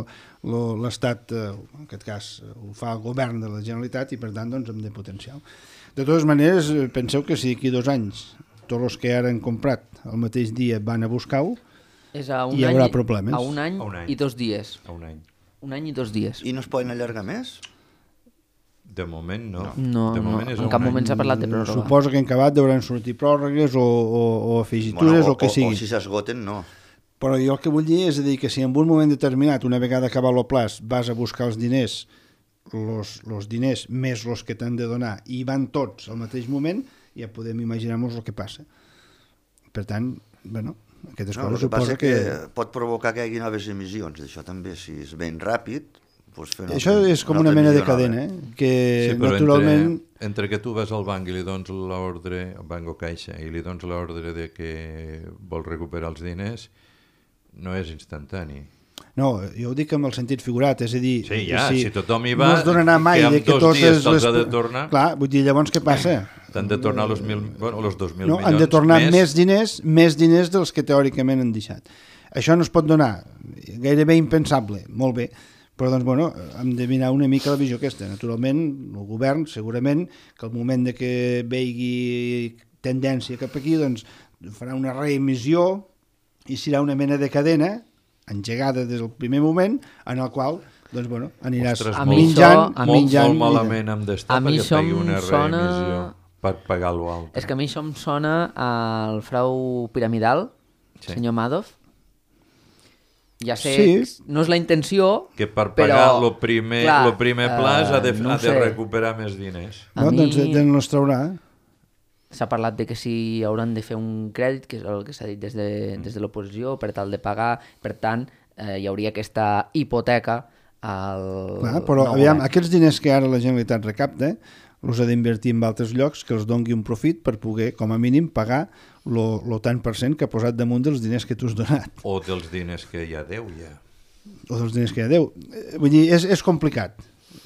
l'Estat, en aquest cas, ho fa el govern de la Generalitat, i per tant, doncs, hem de potenciar-ho. De totes maneres, penseu que si d'aquí dos anys tots els que ara han comprat el mateix dia van a buscar-ho, És a un hi haurà any, problemes. A un any, A un any. i dos dies. A un any. Un any i dos dies. I no es poden allargar més? De moment no. No, de no, moment és en a cap un any. moment s'ha parlat de pròrroga. suposo que en acabat deuen sortir pròrrogues o, o, o afegitures Bueno, o, o que sigui. O, si s'esgoten, no. Però jo el que vull dir és a dir que si en un moment determinat, una vegada acabat el plaç, vas a buscar els diners, los, los diners més els que t'han de donar, i van tots al mateix moment, ja podem imaginar-nos el que passa. Per tant, bueno, aquestes No, el coses que passa suposo que... que... que pot provocar que hi hagi noves emissions, d'això també, si és ben ràpid... Doncs fer una Això altra- és com una una altra mena de emissió nova. cadena, eh? que Sí, però naturalment... entre, entre que tu vas al banc i li dones l'ordre, al banc o caixa, i li dones l'ordre de que vol recuperar els diners, no és instantani. No, jo ho dic amb el sentit figurat, és a dir... Sí, ja, si tothom hi va, no es donarà mai que en de que dos totes dies te'ls les... ha de tornar. Clar, vull dir, llavors què passa? T'han de tornar los, mil, bueno, los dos mil No, milions han de tornar més. més diners, més diners dels que teòricament han deixat. Això no es pot donar, gairebé impensable, molt bé, però doncs, bueno, hem de mirar una mica la visió aquesta. Naturalment, el govern, segurament, que al moment de que vegi tendència cap aquí, doncs farà una reemissió i serà una mena de cadena engegada des del primer moment, en el qual doncs, bueno, aniràs Ostres, A molt, mi menjant, això- a molt, menjant... molt malament hem d'estar A mi perquè això pegui em una sona- reemissió per pagar l'altre. És que a mi això em sona al frau piramidal, Sí. senyor Madoff. ja sé, Sí. no és la intenció, Que per però, pagar el primer, clar, lo primer pla eh, ha de, no ha ho de sé. recuperar més diners. A No, mi- doncs d'on els traurà? S'ha parlat de que si hauran de fer un crèdit, que és el que s'ha dit des de, des de l'oposició, per tal de pagar, per tant, eh, hi hauria aquesta hipoteca al Clar, però nou aviam, govern. aquests diners que ara la Generalitat recapta els ha d'invertir en altres llocs que els dongui un profit per poder, com a mínim, pagar lo, lo tant per cent que ha posat damunt dels diners que tu has donat, O dels diners que ja deu, ja. o dels diners que ja deu. Eh, Vull dir, és, és complicat.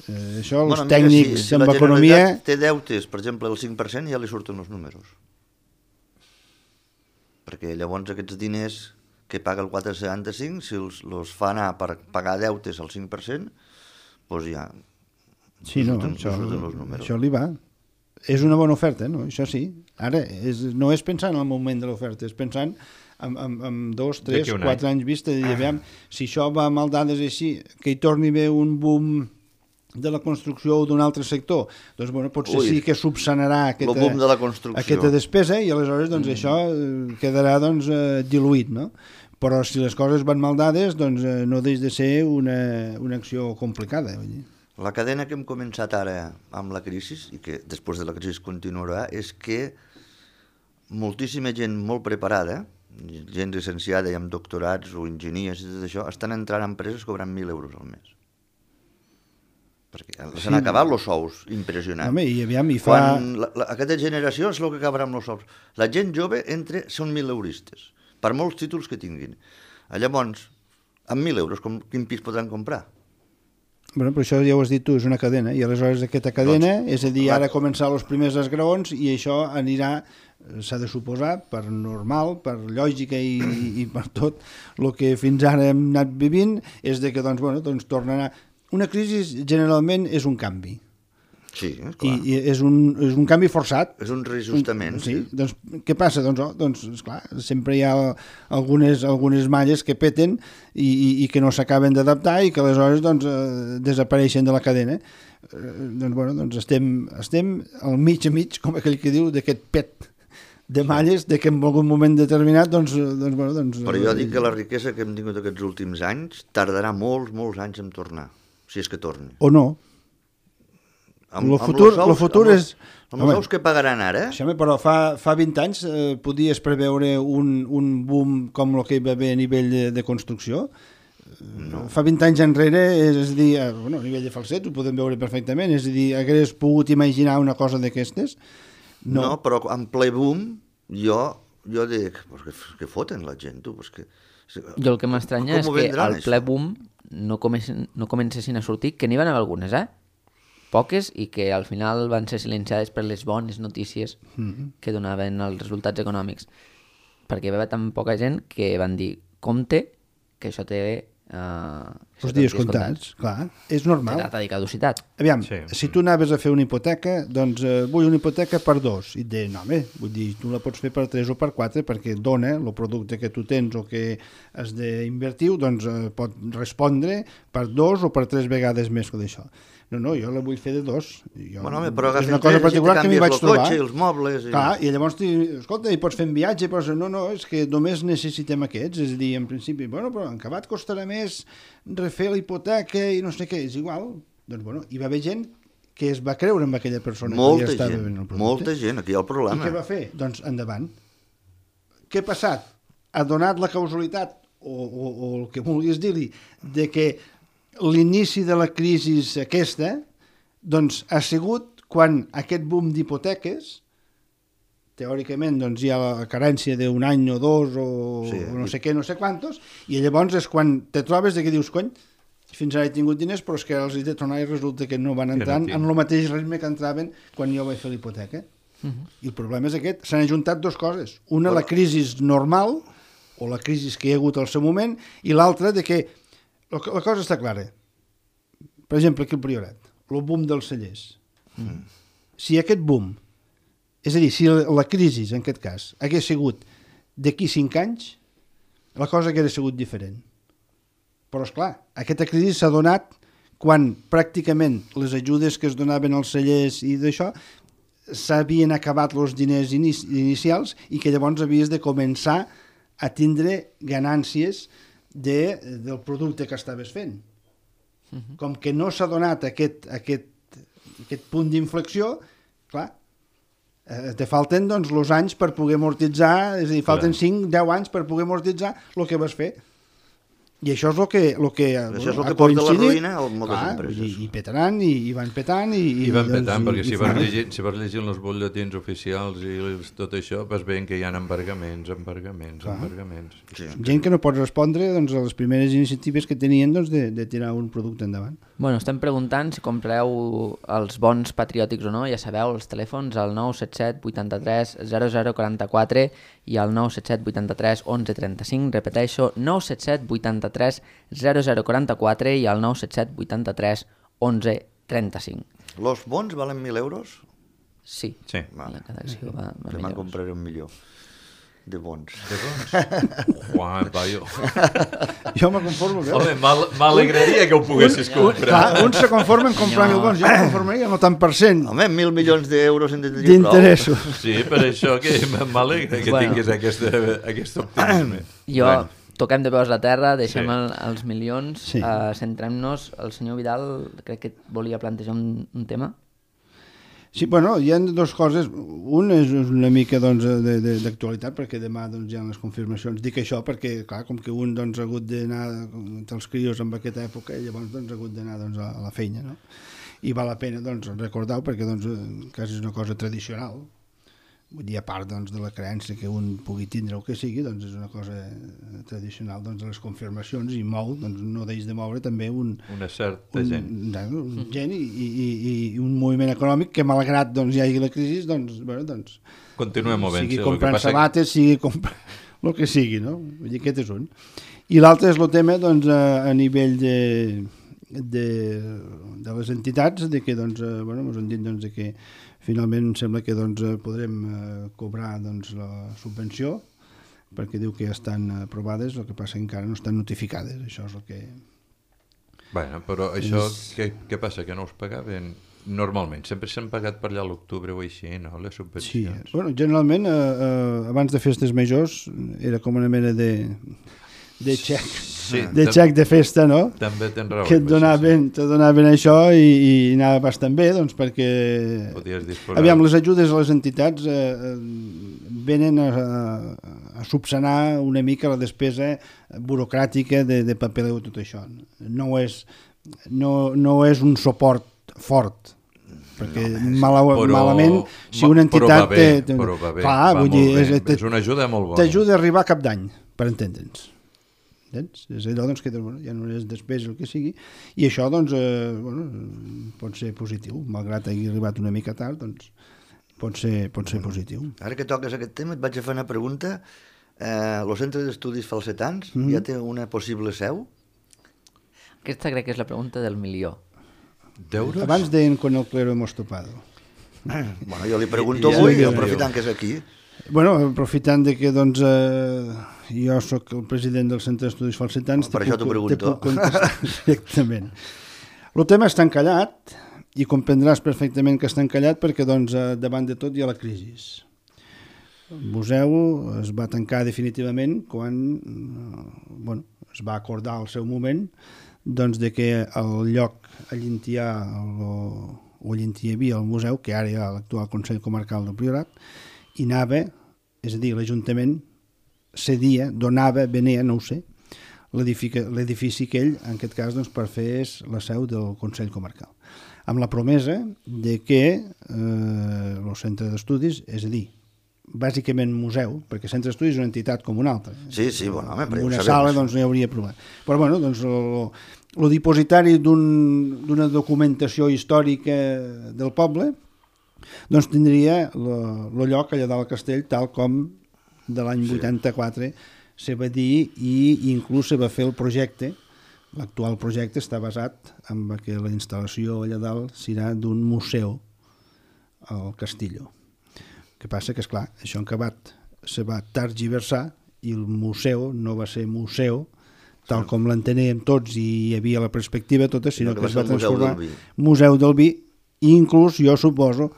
Eh, això, els Bueno, mira, tècnics si, si amb la economia... Generalitat té deutes, per exemple, el cinc per cent, ja li surten els números. Perquè llavors aquests diners que paga el quatre coma setanta-cinc, si els, els fa anar per pagar deutes al cinc per cent, doncs ja Sí, li no, surten, això, li surten els números. això li va. És una bona oferta, no? Això sí. Ara, és, no és pensant en el moment de l'oferta, és pensant en, en, en dos, tres, D'aquí un quatre anys vista, de dir, aviam, si això va amb dades així, que hi torni a haver un boom de la construcció o d'un altre sector, doncs bueno, potser Ui, sí que subsanarà aquesta, el boom de la construcció. aquesta despesa i aleshores doncs, mm. això eh, quedarà doncs, eh, diluït, no? Però si les coses van mal dades, doncs eh, no deix de ser una, una acció complicada. Vull dir. La cadena que hem començat ara amb la crisi, i que després de la crisi continuarà, és que moltíssima gent molt preparada, gent licenciada i amb doctorats o enginyers i tot això, estan entrant a empreses cobrant mil euros al mes. Perquè s'han Sí. acabat els sous, impressionant. Home, i aviam, i fa... Quan la, la, aquesta generació és el que acabarà amb els sous. La gent jove entre, són mil euristes, per molts títols que tinguin. Llavors, amb mil euros, com, quin pis podran comprar? Bueno, però això ja ho has dit tu, és una cadena, i aleshores aquesta cadena, Doncs, és a dir, clar. ara començar els primers esgraons i això anirà, s'ha de suposar, per normal, per lògica i, i per tot el que fins ara hem anat vivint, és de que, doncs, bueno, doncs tornarà... Una crisi generalment és un canvi, Sí, i, clar. i és, un, és un canvi forçat. És un reajustament. Sí, doncs què passa? Doncs, oh, doncs esclar, sempre hi ha algunes, algunes malles que peten i, i, i que no s'acaben d'adaptar i que aleshores doncs, eh, desapareixen de la cadena. Eh, doncs, bueno, doncs estem, estem al mig a mig, com aquell que diu, d'aquest pet de malles, de que en algun moment determinat, doncs... doncs, bueno, doncs Però jo dic que la riquesa que hem tingut aquests últims anys tardarà molts, molts anys en tornar, si és que torni. o no. Amb, Lo amb futur- los sous- lo futur amb els- és- Amb Home. els sous que pagaran ara, Això, però fa, fa vint anys eh, podies preveure un, un boom com el que hi va haver a nivell de, de construcció? No. Fa vint anys enrere, és a dir, eh, bueno, a nivell de falset ho podem veure perfectament, és a dir, hagués pogut imaginar una cosa d'aquestes? no. No. no, però en ple boom, jo, jo dic, pues que, que foten la gent, tu, pues que... Jo el que m'estranya Com és ho que vendran, al ple boom no, comencen, no comencessin a sortir, que n'hi van haver algunes, eh? Poques, i que al final van ser silenciades per les bones notícies Mm-hmm. que donaven els resultats econòmics. Perquè hi va haver tan poca gent que van dir, compte, que això té... Uh, Els dies comptats, clar, és normal. Data de caducitat. Aviam, Sí. si tu anaves a fer una hipoteca, doncs eh, vull una hipoteca per dos. I et deien, no, home, vull dir, tu la pots fer per tres o per quatre perquè dona el producte que tu tens o que has d'invertir, doncs eh, pot respondre per dos o per tres vegades més que d'això. No, no, jo la vull fer de dos. Jo, Bueno, home, però és agafin una cosa tres, particular que m'hi vaig el trobar. cotxe, els mobles... I... Clar, i llavors, ti, escolta, hi pots fer un viatge, però no, no, és que només necessitem aquests, és a dir, en principi, bueno, però en acabat costarà més refer la hipoteca i no sé què, és igual. Doncs, bueno, hi va haver gent que es va creure amb aquella persona Molta que ja estava gent, venent el producte. molta gent, aquí hi ha el I problema. què va fer? Doncs endavant. Què ha passat? Ha donat la causalitat, o, o, o el que vulguis dir-li, de que l'inici de la crisi aquesta doncs ha sigut quan aquest boom d'hipoteques, teòricament doncs, hi ha la carència d'un any o dos o, Sí. o no sé què, no sé quantos, i llavors és quan te trobes de que dius, cony, fins ara he tingut diners, però és que els he de tornar i resulta que no van no entrant tinc. en el mateix ritme que entraven quan jo vaig fer l'hipoteca. Uh -huh. I el problema és aquest, s'han ajuntat dues coses. Una, la crisi normal, o la crisi que hi ha hagut al seu moment, i l'altra de que la la cosa està clara. Per exemple, aquí al Priorat, el boom dels cellers. Mm. Si aquest boom, és a dir, si la, la crisi, en aquest cas, hagués sigut d'aquí cinc anys, la cosa hauria sigut diferent. Però, esclar, aquesta crisi s'ha donat quan pràcticament les ajudes que es donaven als cellers i d'això s'havien acabat els diners inici inicials i que llavors havies de començar a tindre ganàncies de, del producte que estaves fent. Uh-huh. Com que no s'ha donat aquest, aquest, aquest punt d'inflexió, clar, eh, te falten doncs, els anys per poder amortitzar, és a dir, falten cinc deu anys per poder amortitzar el que vas fer. I això és el que, el que, això és el ha que porta la coincidit. ruïna a moltes Clar, empreses. I, i petaran, i, i van petant. I, I van doncs, petant, perquè i, si i vas, fan- llegint, si vas llegint els butlletins oficials i tot això, vas veient que hi ha embargaments, embargaments, Clar. embargaments. Sí. gent que no pot respondre doncs, a les primeres iniciatives que tenien doncs, de, de tirar un producte endavant. Bueno, estem preguntant si compreu els bons patriòtics o no, ja sabeu, els telèfons al nou set set vuitanta-tres zero zero quaranta-quatre i al nou set set vuitanta-tres onze trenta-cinc, repeteixo, nou set set vuitanta-tres zero zero quaranta-quatre i al nou set set vuitanta-tres onze trenta-cinc. Los bons valen mil euros? Sí, Sí. la cada acció va, va Se me'n millor. compraré un millor de bons. De bons? Juan, paio. Jo me conformo, veus? Home, m'al- m'alegraria que ho poguessis comprar. Clar, un se conforma en comprar mil bons, jo me conformaria amb el tant per cent Home, mil milions d'euros en tindria prou. d'interessos. Sí, per això que m'alegra que Bueno. tinguis aquesta, aquest optimisme. Jo, Bueno. toquem de peus a terra, deixem Sí. el, els milions, Sí. uh, centrem-nos. El senyor Vidal crec que volia plantejar un, un tema. Sí, bueno, hi ha dues coses. Un és una mica doncs, de- de- d'actualitat, perquè demà doncs, hi ha les confirmacions. Dic això perquè, clar, com que un doncs, ha hagut d'anar entre els crios en aquesta època, i llavors doncs, ha hagut d'anar doncs, a a la feina, no? I val la pena doncs, recordar-ho perquè doncs, eh, quasi és una cosa tradicional. Vull dir, a part doncs, de la creença que un pugui tindre el que sigui, doncs és una cosa eh, tradicional doncs, de les confirmacions i mou, doncs no deix de moure també un, Una certa un, gent. un gent i, i, i un moviment econòmic que malgrat doncs, hi hagi la crisi doncs, bueno, doncs, Continuem movent-se. sigui el que comprant passa que- sabates, sigui comprant el que sigui, no? Vull dir, aquest és un. I l'altre és el tema doncs, a, a nivell de, de, de les entitats, de que doncs, eh, bueno, ens han dit doncs, de que finalment em sembla que doncs, eh, podrem eh, cobrar doncs, la subvenció, perquè diu que ja estan aprovades, el que passa que encara no estan notificades, això és el que... Bueno, però això, què, què passa? Que no us pagaven? Normalment, sempre s'han pagat per allà a l'octubre o així, no? Les Sí, subvencions. bueno, generalment, eh, eh, abans de festes majors, era com una mena de, de xec, Sí, de tam- xec de festa, no? També tens raó. Que et amb això, donaven, te donaven això i, i anava bastant bé, doncs, perquè... Podies disposar. Aviam, les ajudes a les entitats eh, eh, venen a, a, a subsanar una mica la despesa burocràtica de, de papeleu i tot això. No és, no, no és un suport fort, perquè no, mala, Però- malament, si ma- una però entitat... va bé, té- té- però va bé, clar, va vull molt dir, bé. és, És una ajuda molt bona. t'ajuda a arribar a cap d'any, per entendre'ns. Entens? És allò doncs, que bueno, ja no és despesa el que sigui, i això doncs, eh, bueno, pot ser positiu, malgrat hagi arribat una mica tard, doncs pot ser, pot ser positiu. Ara que toques aquest tema, et vaig a fer una pregunta. Eh, el Centre d'Estudis Falsetans Mhm. ja té una possible seu? Aquesta crec que és la pregunta del milió. D'euros? Abans deien con el clero hemos topado. Bueno, jo li pregunto Ja, avui, ja, ja. aprofitant que és aquí. Bueno, aprofitant de que doncs, eh, jo sóc el president del Centre d'Estudis Falsetans, Per te això puc- t'ho pregunto. te puc contestar directament. El tema està encallat i comprendràs perfectament que està encallat perquè doncs, eh, davant de tot hi ha la crisi. El museu es va tancar definitivament quan eh, bueno, es va acordar al seu moment doncs, de que el lloc allí on hi ha el, o allí on hi havia el museu, que ara hi ha l'actual Consell Comarcal del Priorat, i anava, és a dir, l'Ajuntament cedia, donava, venia, no ho sé, l'edifici l'edifici aquell, en aquest cas, doncs, per fer és la seu del Consell Comarcal. Amb la promesa de que eh, el centre d'estudis, és a dir, bàsicament museu, perquè centre d'estudis és una entitat com una altra. Sí, sí, bueno, home, però En ja ho una sabem, sala això. doncs, no hi hauria problema. Però bueno, doncs, el dipositari d'una un, documentació històrica del poble doncs tindria el lloc allà dalt al castell tal com de l'any Sí. vuitanta-quatre se va dir i inclús se va fer el projecte. L'actual projecte està basat en que la instal·lació allà dalt serà d'un museu al Castillo. El que passa que, esclar, això en acabat se va tergiversar i el museu no va ser museu tal com l'enteníem tots i hi havia la perspectiva tota, sinó Sinó que que va es va ser el Museu transformar del Vi. Museu del Vi, i inclús, jo suposo,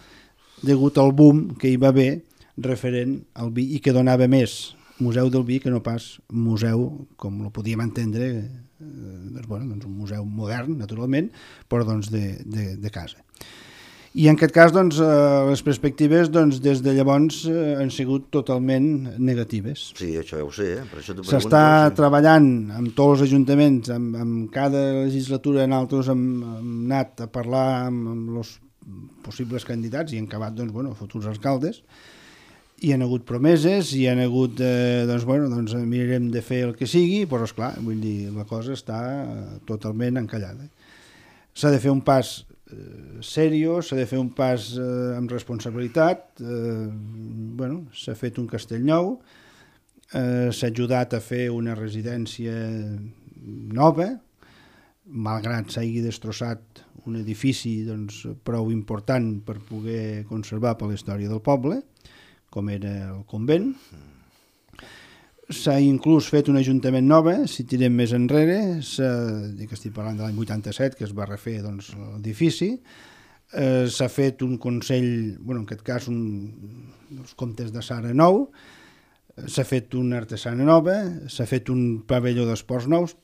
degut al boom que hi va haver referent al vi i que donava més museu del vi que no pas museu, com ho podíem entendre, eh, doncs, bueno, doncs un museu modern, naturalment, però doncs de, de, de casa. I en aquest cas, doncs, eh, les perspectives, doncs, des de llavors eh, han sigut totalment negatives. Sí, això ja ho sé, eh? Per això t'ho pregunto. S'està sí. treballant amb tots els ajuntaments, amb, amb cada legislatura nosaltres hem, hem anat a parlar amb, amb els possibles candidats i han acabat, doncs, bueno, futurs alcaldes. Hi ha hagut promeses, hi ha hagut, eh, doncs, bueno, doncs mirarem de fer el que sigui, però, esclar, vull dir, la cosa està totalment encallada. S'ha de fer un pas eh, serio, s'ha de fer un pas eh, amb responsabilitat, eh, bueno, s'ha fet un castell nou, eh, s'ha ajudat a fer una residència nova, malgrat s'hagi destrossat un edifici doncs, prou important per poder conservar per la història del poble, com era el convent. S'ha inclús fet un ajuntament nova, si tirem més enrere, que estic parlant de l'any vuitanta-set, que es va refer doncs, l'edifici, eh, s'ha fet un consell, bueno, en aquest cas un, els comtes de Sara nou, s'ha fet una artesana nova, s'ha fet un pavelló d'esports nous,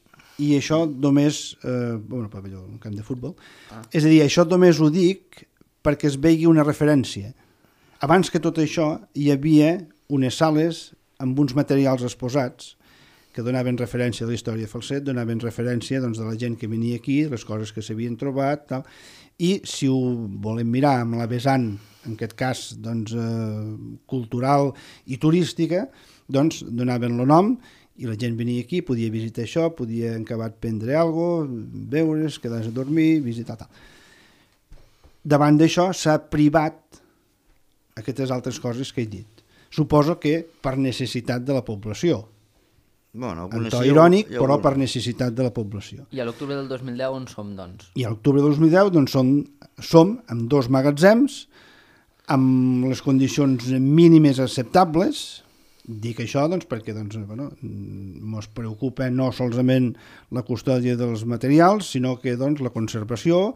i això només, eh, bueno, pavelló, un camp de futbol, ah. és a dir, això només ho dic perquè es vegi una referència. Abans que tot això hi havia unes sales amb uns materials exposats que donaven referència a la història de Falset, donaven referència doncs, de la gent que venia aquí, les coses que s'havien trobat, tal. I si ho volem mirar amb la vessant, en aquest cas doncs, eh, cultural i turística, doncs donaven el nom i la gent venia aquí, podia visitar això, podia acabar de prendre alguna cosa, beure's, quedar-se a dormir, visitar tal. Davant d'això s'ha privat aquestes altres coses que he dit. Suposo que per necessitat de la població. Bueno, en to irònic, ja però per necessitat de la població. I a l'octubre del dos mil deu on som, doncs? I a l'octubre del dos mil deu doncs, som, som amb dos magatzems, amb les condicions mínimes acceptables. Dic això doncs, perquè doncs, bueno, ens preocupa no solament la custòdia dels materials, sinó que doncs, la conservació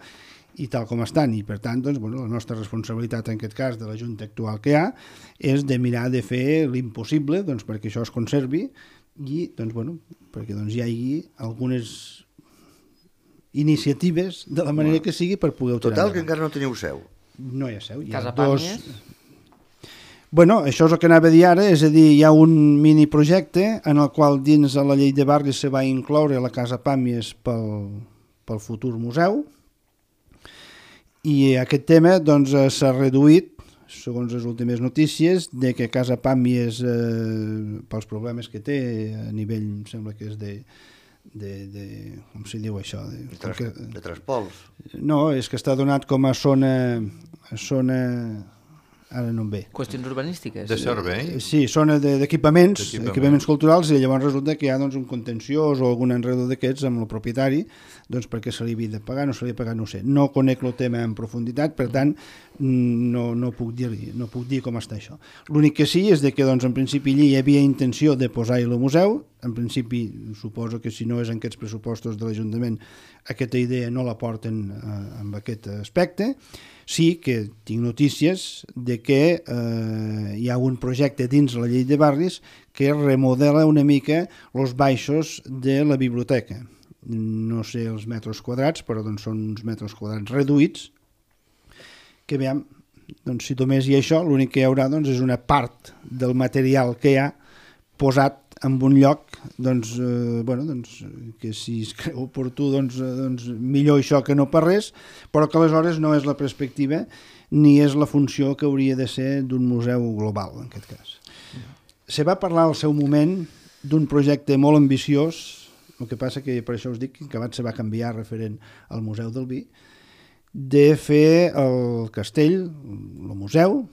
i tal com estan, i per tant doncs, bueno, la nostra responsabilitat en aquest cas de la Junta actual que hi ha és de mirar de fer l'impossible doncs, perquè això es conservi i doncs, bueno, perquè doncs, hi hagi algunes iniciatives de la manera bueno, que sigui per poder-ho tirar. Total, que encara no teniu seu. No hi ha seu. Hi ha Casa dos... Pàmies? Bueno, això és el que anava a dir ara, és a dir, hi ha un miniprojecte en el qual dins de la llei de barris se va incloure la Casa Pàmies pel, pel futur museu. I aquest tema doncs, s'ha reduït, segons les últimes notícies, de que Casa Pàmies, eh, pels problemes que té a nivell, em sembla que és de, de, de com se diu això? De, de, tras, que, de Traspols. No, és que està donat com a zona... A zona ara no em ve. Qüestions urbanístiques? De servei? Sí, zona d'equipaments, de, equipaments culturals, i llavors resulta que hi ha doncs, un contenciós o algun enredo d'aquests amb el propietari, doncs perquè se li havia de pagar, no se li ha pagat, no ho sé. No conec el tema en profunditat, per tant, no, no, puc dir no puc dir com està això. L'únic que sí és de que doncs, en principi allí hi havia intenció de posar-hi el museu, en principi suposo que si no és en aquests pressupostos de l'Ajuntament aquesta idea no la porten eh, amb aquest aspecte. Sí que tinc notícies de que eh, hi ha un projecte dins la llei de barris que remodela una mica els baixos de la biblioteca. No sé els metres quadrats, però doncs, són uns metres quadrats reduïts, que veiem, doncs, si només hi ha això, l'únic que hi haurà doncs, és una part del material que hi ha posat en un lloc doncs, eh, bueno, doncs, que si es creu oportú doncs, doncs millor això que no per res, però que aleshores no és la perspectiva ni és la funció que hauria de ser d'un museu global en aquest cas. Se va parlar al seu moment d'un projecte molt ambiciós, el que passa que per això us dic que acabat se va canviar referent al Museu del Vi, de fer el castell, el museu,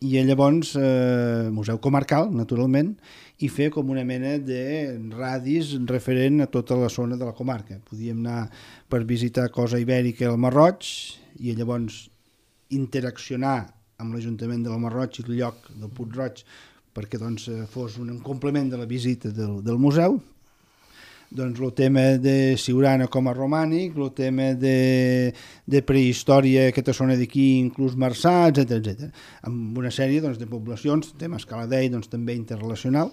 i llavors eh, museu comarcal, naturalment, i fer com una mena de radis referent a tota la zona de la comarca. Podíem anar per visitar Cosa Ibèrica al Marroig i llavors interaccionar amb l'Ajuntament del Marroig i el lloc del Puig-roig perquè doncs, fos un complement de la visita del, del museu. Doncs el tema de Siurana com a romànic, el tema de, de prehistòria, aquesta zona d'aquí, inclús Marçà, etcètera, etcètera. Amb una sèrie doncs, de poblacions, tema Escaladei, doncs, també interrelacional.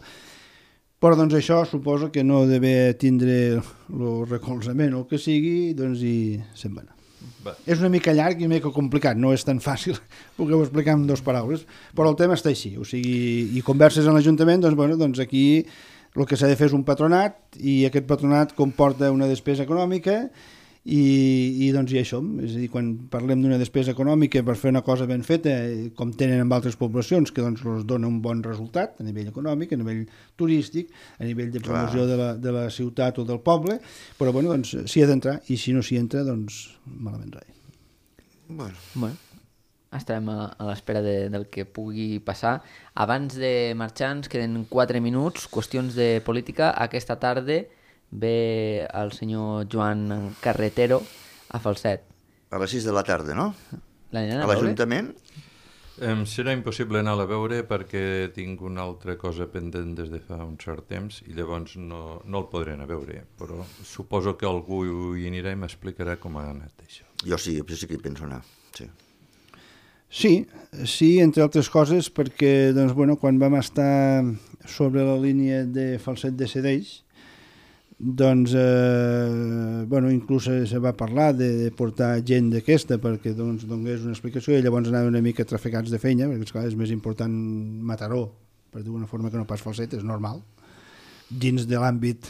Però doncs això suposa que no deve tindre el recolzament o el que sigui, doncs i se'n va anar. Va. És una mica llarg i una mica complicat, no és tan fàcil poder-ho explicar en dues paraules, però el tema està així, o sigui, i converses en l'Ajuntament, doncs, bueno, doncs aquí el que s'ha de fer és un patronat i aquest patronat comporta una despesa econòmica i, i doncs i això, és a dir, quan parlem d'una despesa econòmica per fer una cosa ben feta, com tenen en altres poblacions, que doncs els dona un bon resultat a nivell econòmic, a nivell turístic, a nivell de promoció de la, de la ciutat o del poble, però bueno, doncs s'hi ha d'entrar i si no s'hi entra, doncs malament rai. Bueno. Bueno, estarem a, a l'espera de, del que pugui passar. Abans de marxar ens queden quatre minuts, qüestions de política. Aquesta tarda ve el senyor Joan Carretero a Falset. A les sis de la tarda, no? A, a l'Ajuntament? Em serà impossible anar a veure perquè tinc una altra cosa pendent des de fa un cert temps i llavors no, no el podré anar a veure, però suposo que algú hi anirà i m'explicarà com ha anat això. Jo sí, jo sí que hi penso anar, sí. Sí, sí, entre altres coses, perquè doncs, bueno, quan vam estar sobre la línia de Falset de Cedeix, doncs, eh, bueno, inclús se va parlar de portar gent d'aquesta perquè doncs, donés una explicació i llavors anaven una mica traficats de feina, perquè esclar, és més important Mataró, per d'una forma que no pas Falset, és normal, dins de l'àmbit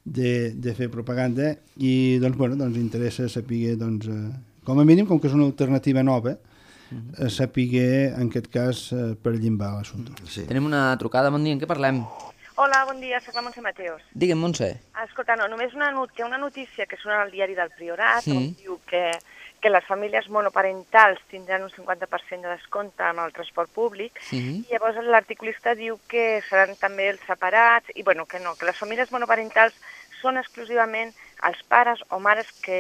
de, de fer propaganda i doncs, bueno, doncs interessa saber, doncs, eh, com a mínim, com que és una alternativa nova, eh, saber, en aquest cas, eh, per llimbar l'assumpte. Sí. Tenim una trucada, bon dia, en què parlem? Hola, bon dia, soc la Montse Mateos. Digue'm, Montse. Escolta, no, només una, not una notícia que surt al diari del Priorat, sí. On diu que, que les famílies monoparentals tindran un cinquanta per cent de descompte amb el transport públic, sí. I llavors l'articulista diu que seran també els separats, i bueno, que no, que les famílies monoparentals són exclusivament els pares o mares que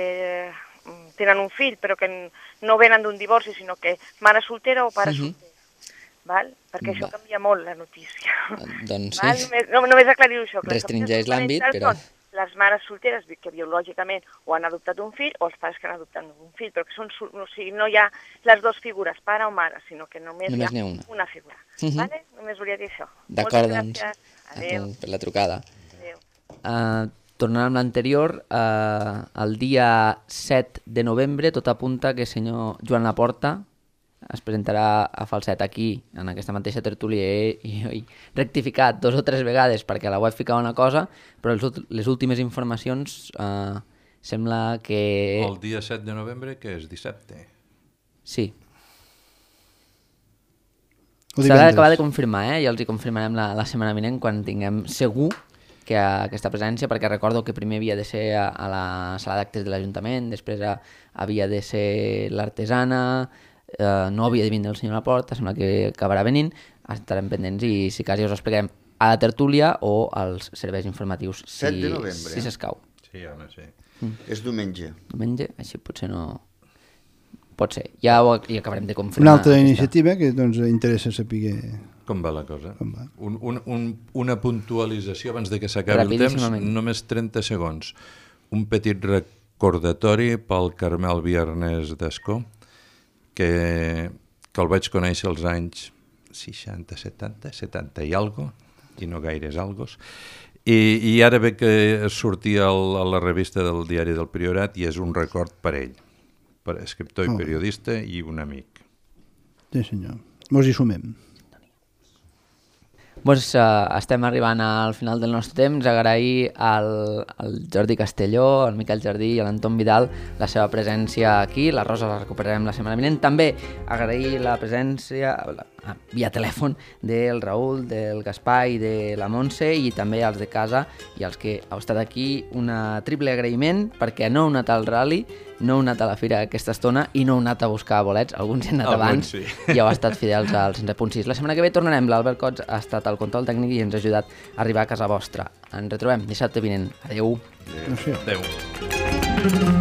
tenen un fill, però que no venen d'un divorci, sinó que mare soltera o pare sí. solter. Val? Perquè això Va. Canvia molt la notícia. Doncs sí. Val? Només, no, només aclarir això. Restringeix l'àmbit, però... Les mares solteres que biològicament o han adoptat un fill o els pares que han adoptat un fill, però que són, o sigui, no hi ha les dues figures, pare o mare, sinó que només, només hi ha una, una figura. Uh -huh. Vale? Només volia dir això. D'acord, doncs. Adéu. Per la trucada. Adéu. Uh, tornant amb l'anterior, uh, el dia set de novembre tot apunta que el senyor Joan Laporta es presentarà a Falset aquí, en aquesta mateixa tertúlia, i he rectificat dos o tres vegades perquè a la web ficava una cosa, però les, les últimes informacions eh, sembla que... El dia set de novembre, que és dissabte. Sí. S'ha d'acabar de confirmar, eh? Ja els hi confirmarem la, la setmana vinent quan tinguem segur que aquesta presència, perquè recordo que primer havia de ser a, a la sala d'actes de l'Ajuntament, després a, havia de ser l'artesana... Uh, no havia de vindre el senyor Laporta, sembla que acabarà venint, estarem pendents i si quasi us expliquem a la tertúlia o als serveis informatius si, set de novembre, si s'escau. Sí, home, sí. Mm. És diumenge. Diumenge, així potser no... Pot ser, ja ho ja acabarem de confirmar. Una altra iniciativa que doncs interessa saber... Com va la cosa? Com va. Un, un, un, una puntualització abans de que s'acabi el temps, només trenta segons. Un petit recordatori pel Carmel Viernes d'Escó, que, que el vaig conèixer als anys seixanta, setanta, setanta i algo, i no gaires algos, i, i ara ve que sortia el, a la revista del diari del Priorat i és un record per ell, per escriptor i oh. periodista i un amic. Sí senyor, mos hi sumem. Doncs uh, estem arribant al final del nostre temps. Agrair al, al Jordi Castelló, al Miquel Jardí i a l'Anton Vidal la seva presència aquí. La Rosa la recuperarem la setmana vinent. També agrair la presència la, ah, via telèfon del Raül, del Gaspar i de la Montse, i també als de casa i als que heu estat aquí. Una triple agraïment perquè no heu anat al rally, no heu anat a la fira aquesta estona i no heu anat a buscar bolets. Alguns hi han anat abans sí. I heu estat fidels al cent punt sis. La setmana que ve tornarem. L'Albert Cots ha estat al control tècnic i ens ha ajudat a arribar a casa vostra. Ens retrobem dissabte vinent. Adéu. Adéu. Adéu.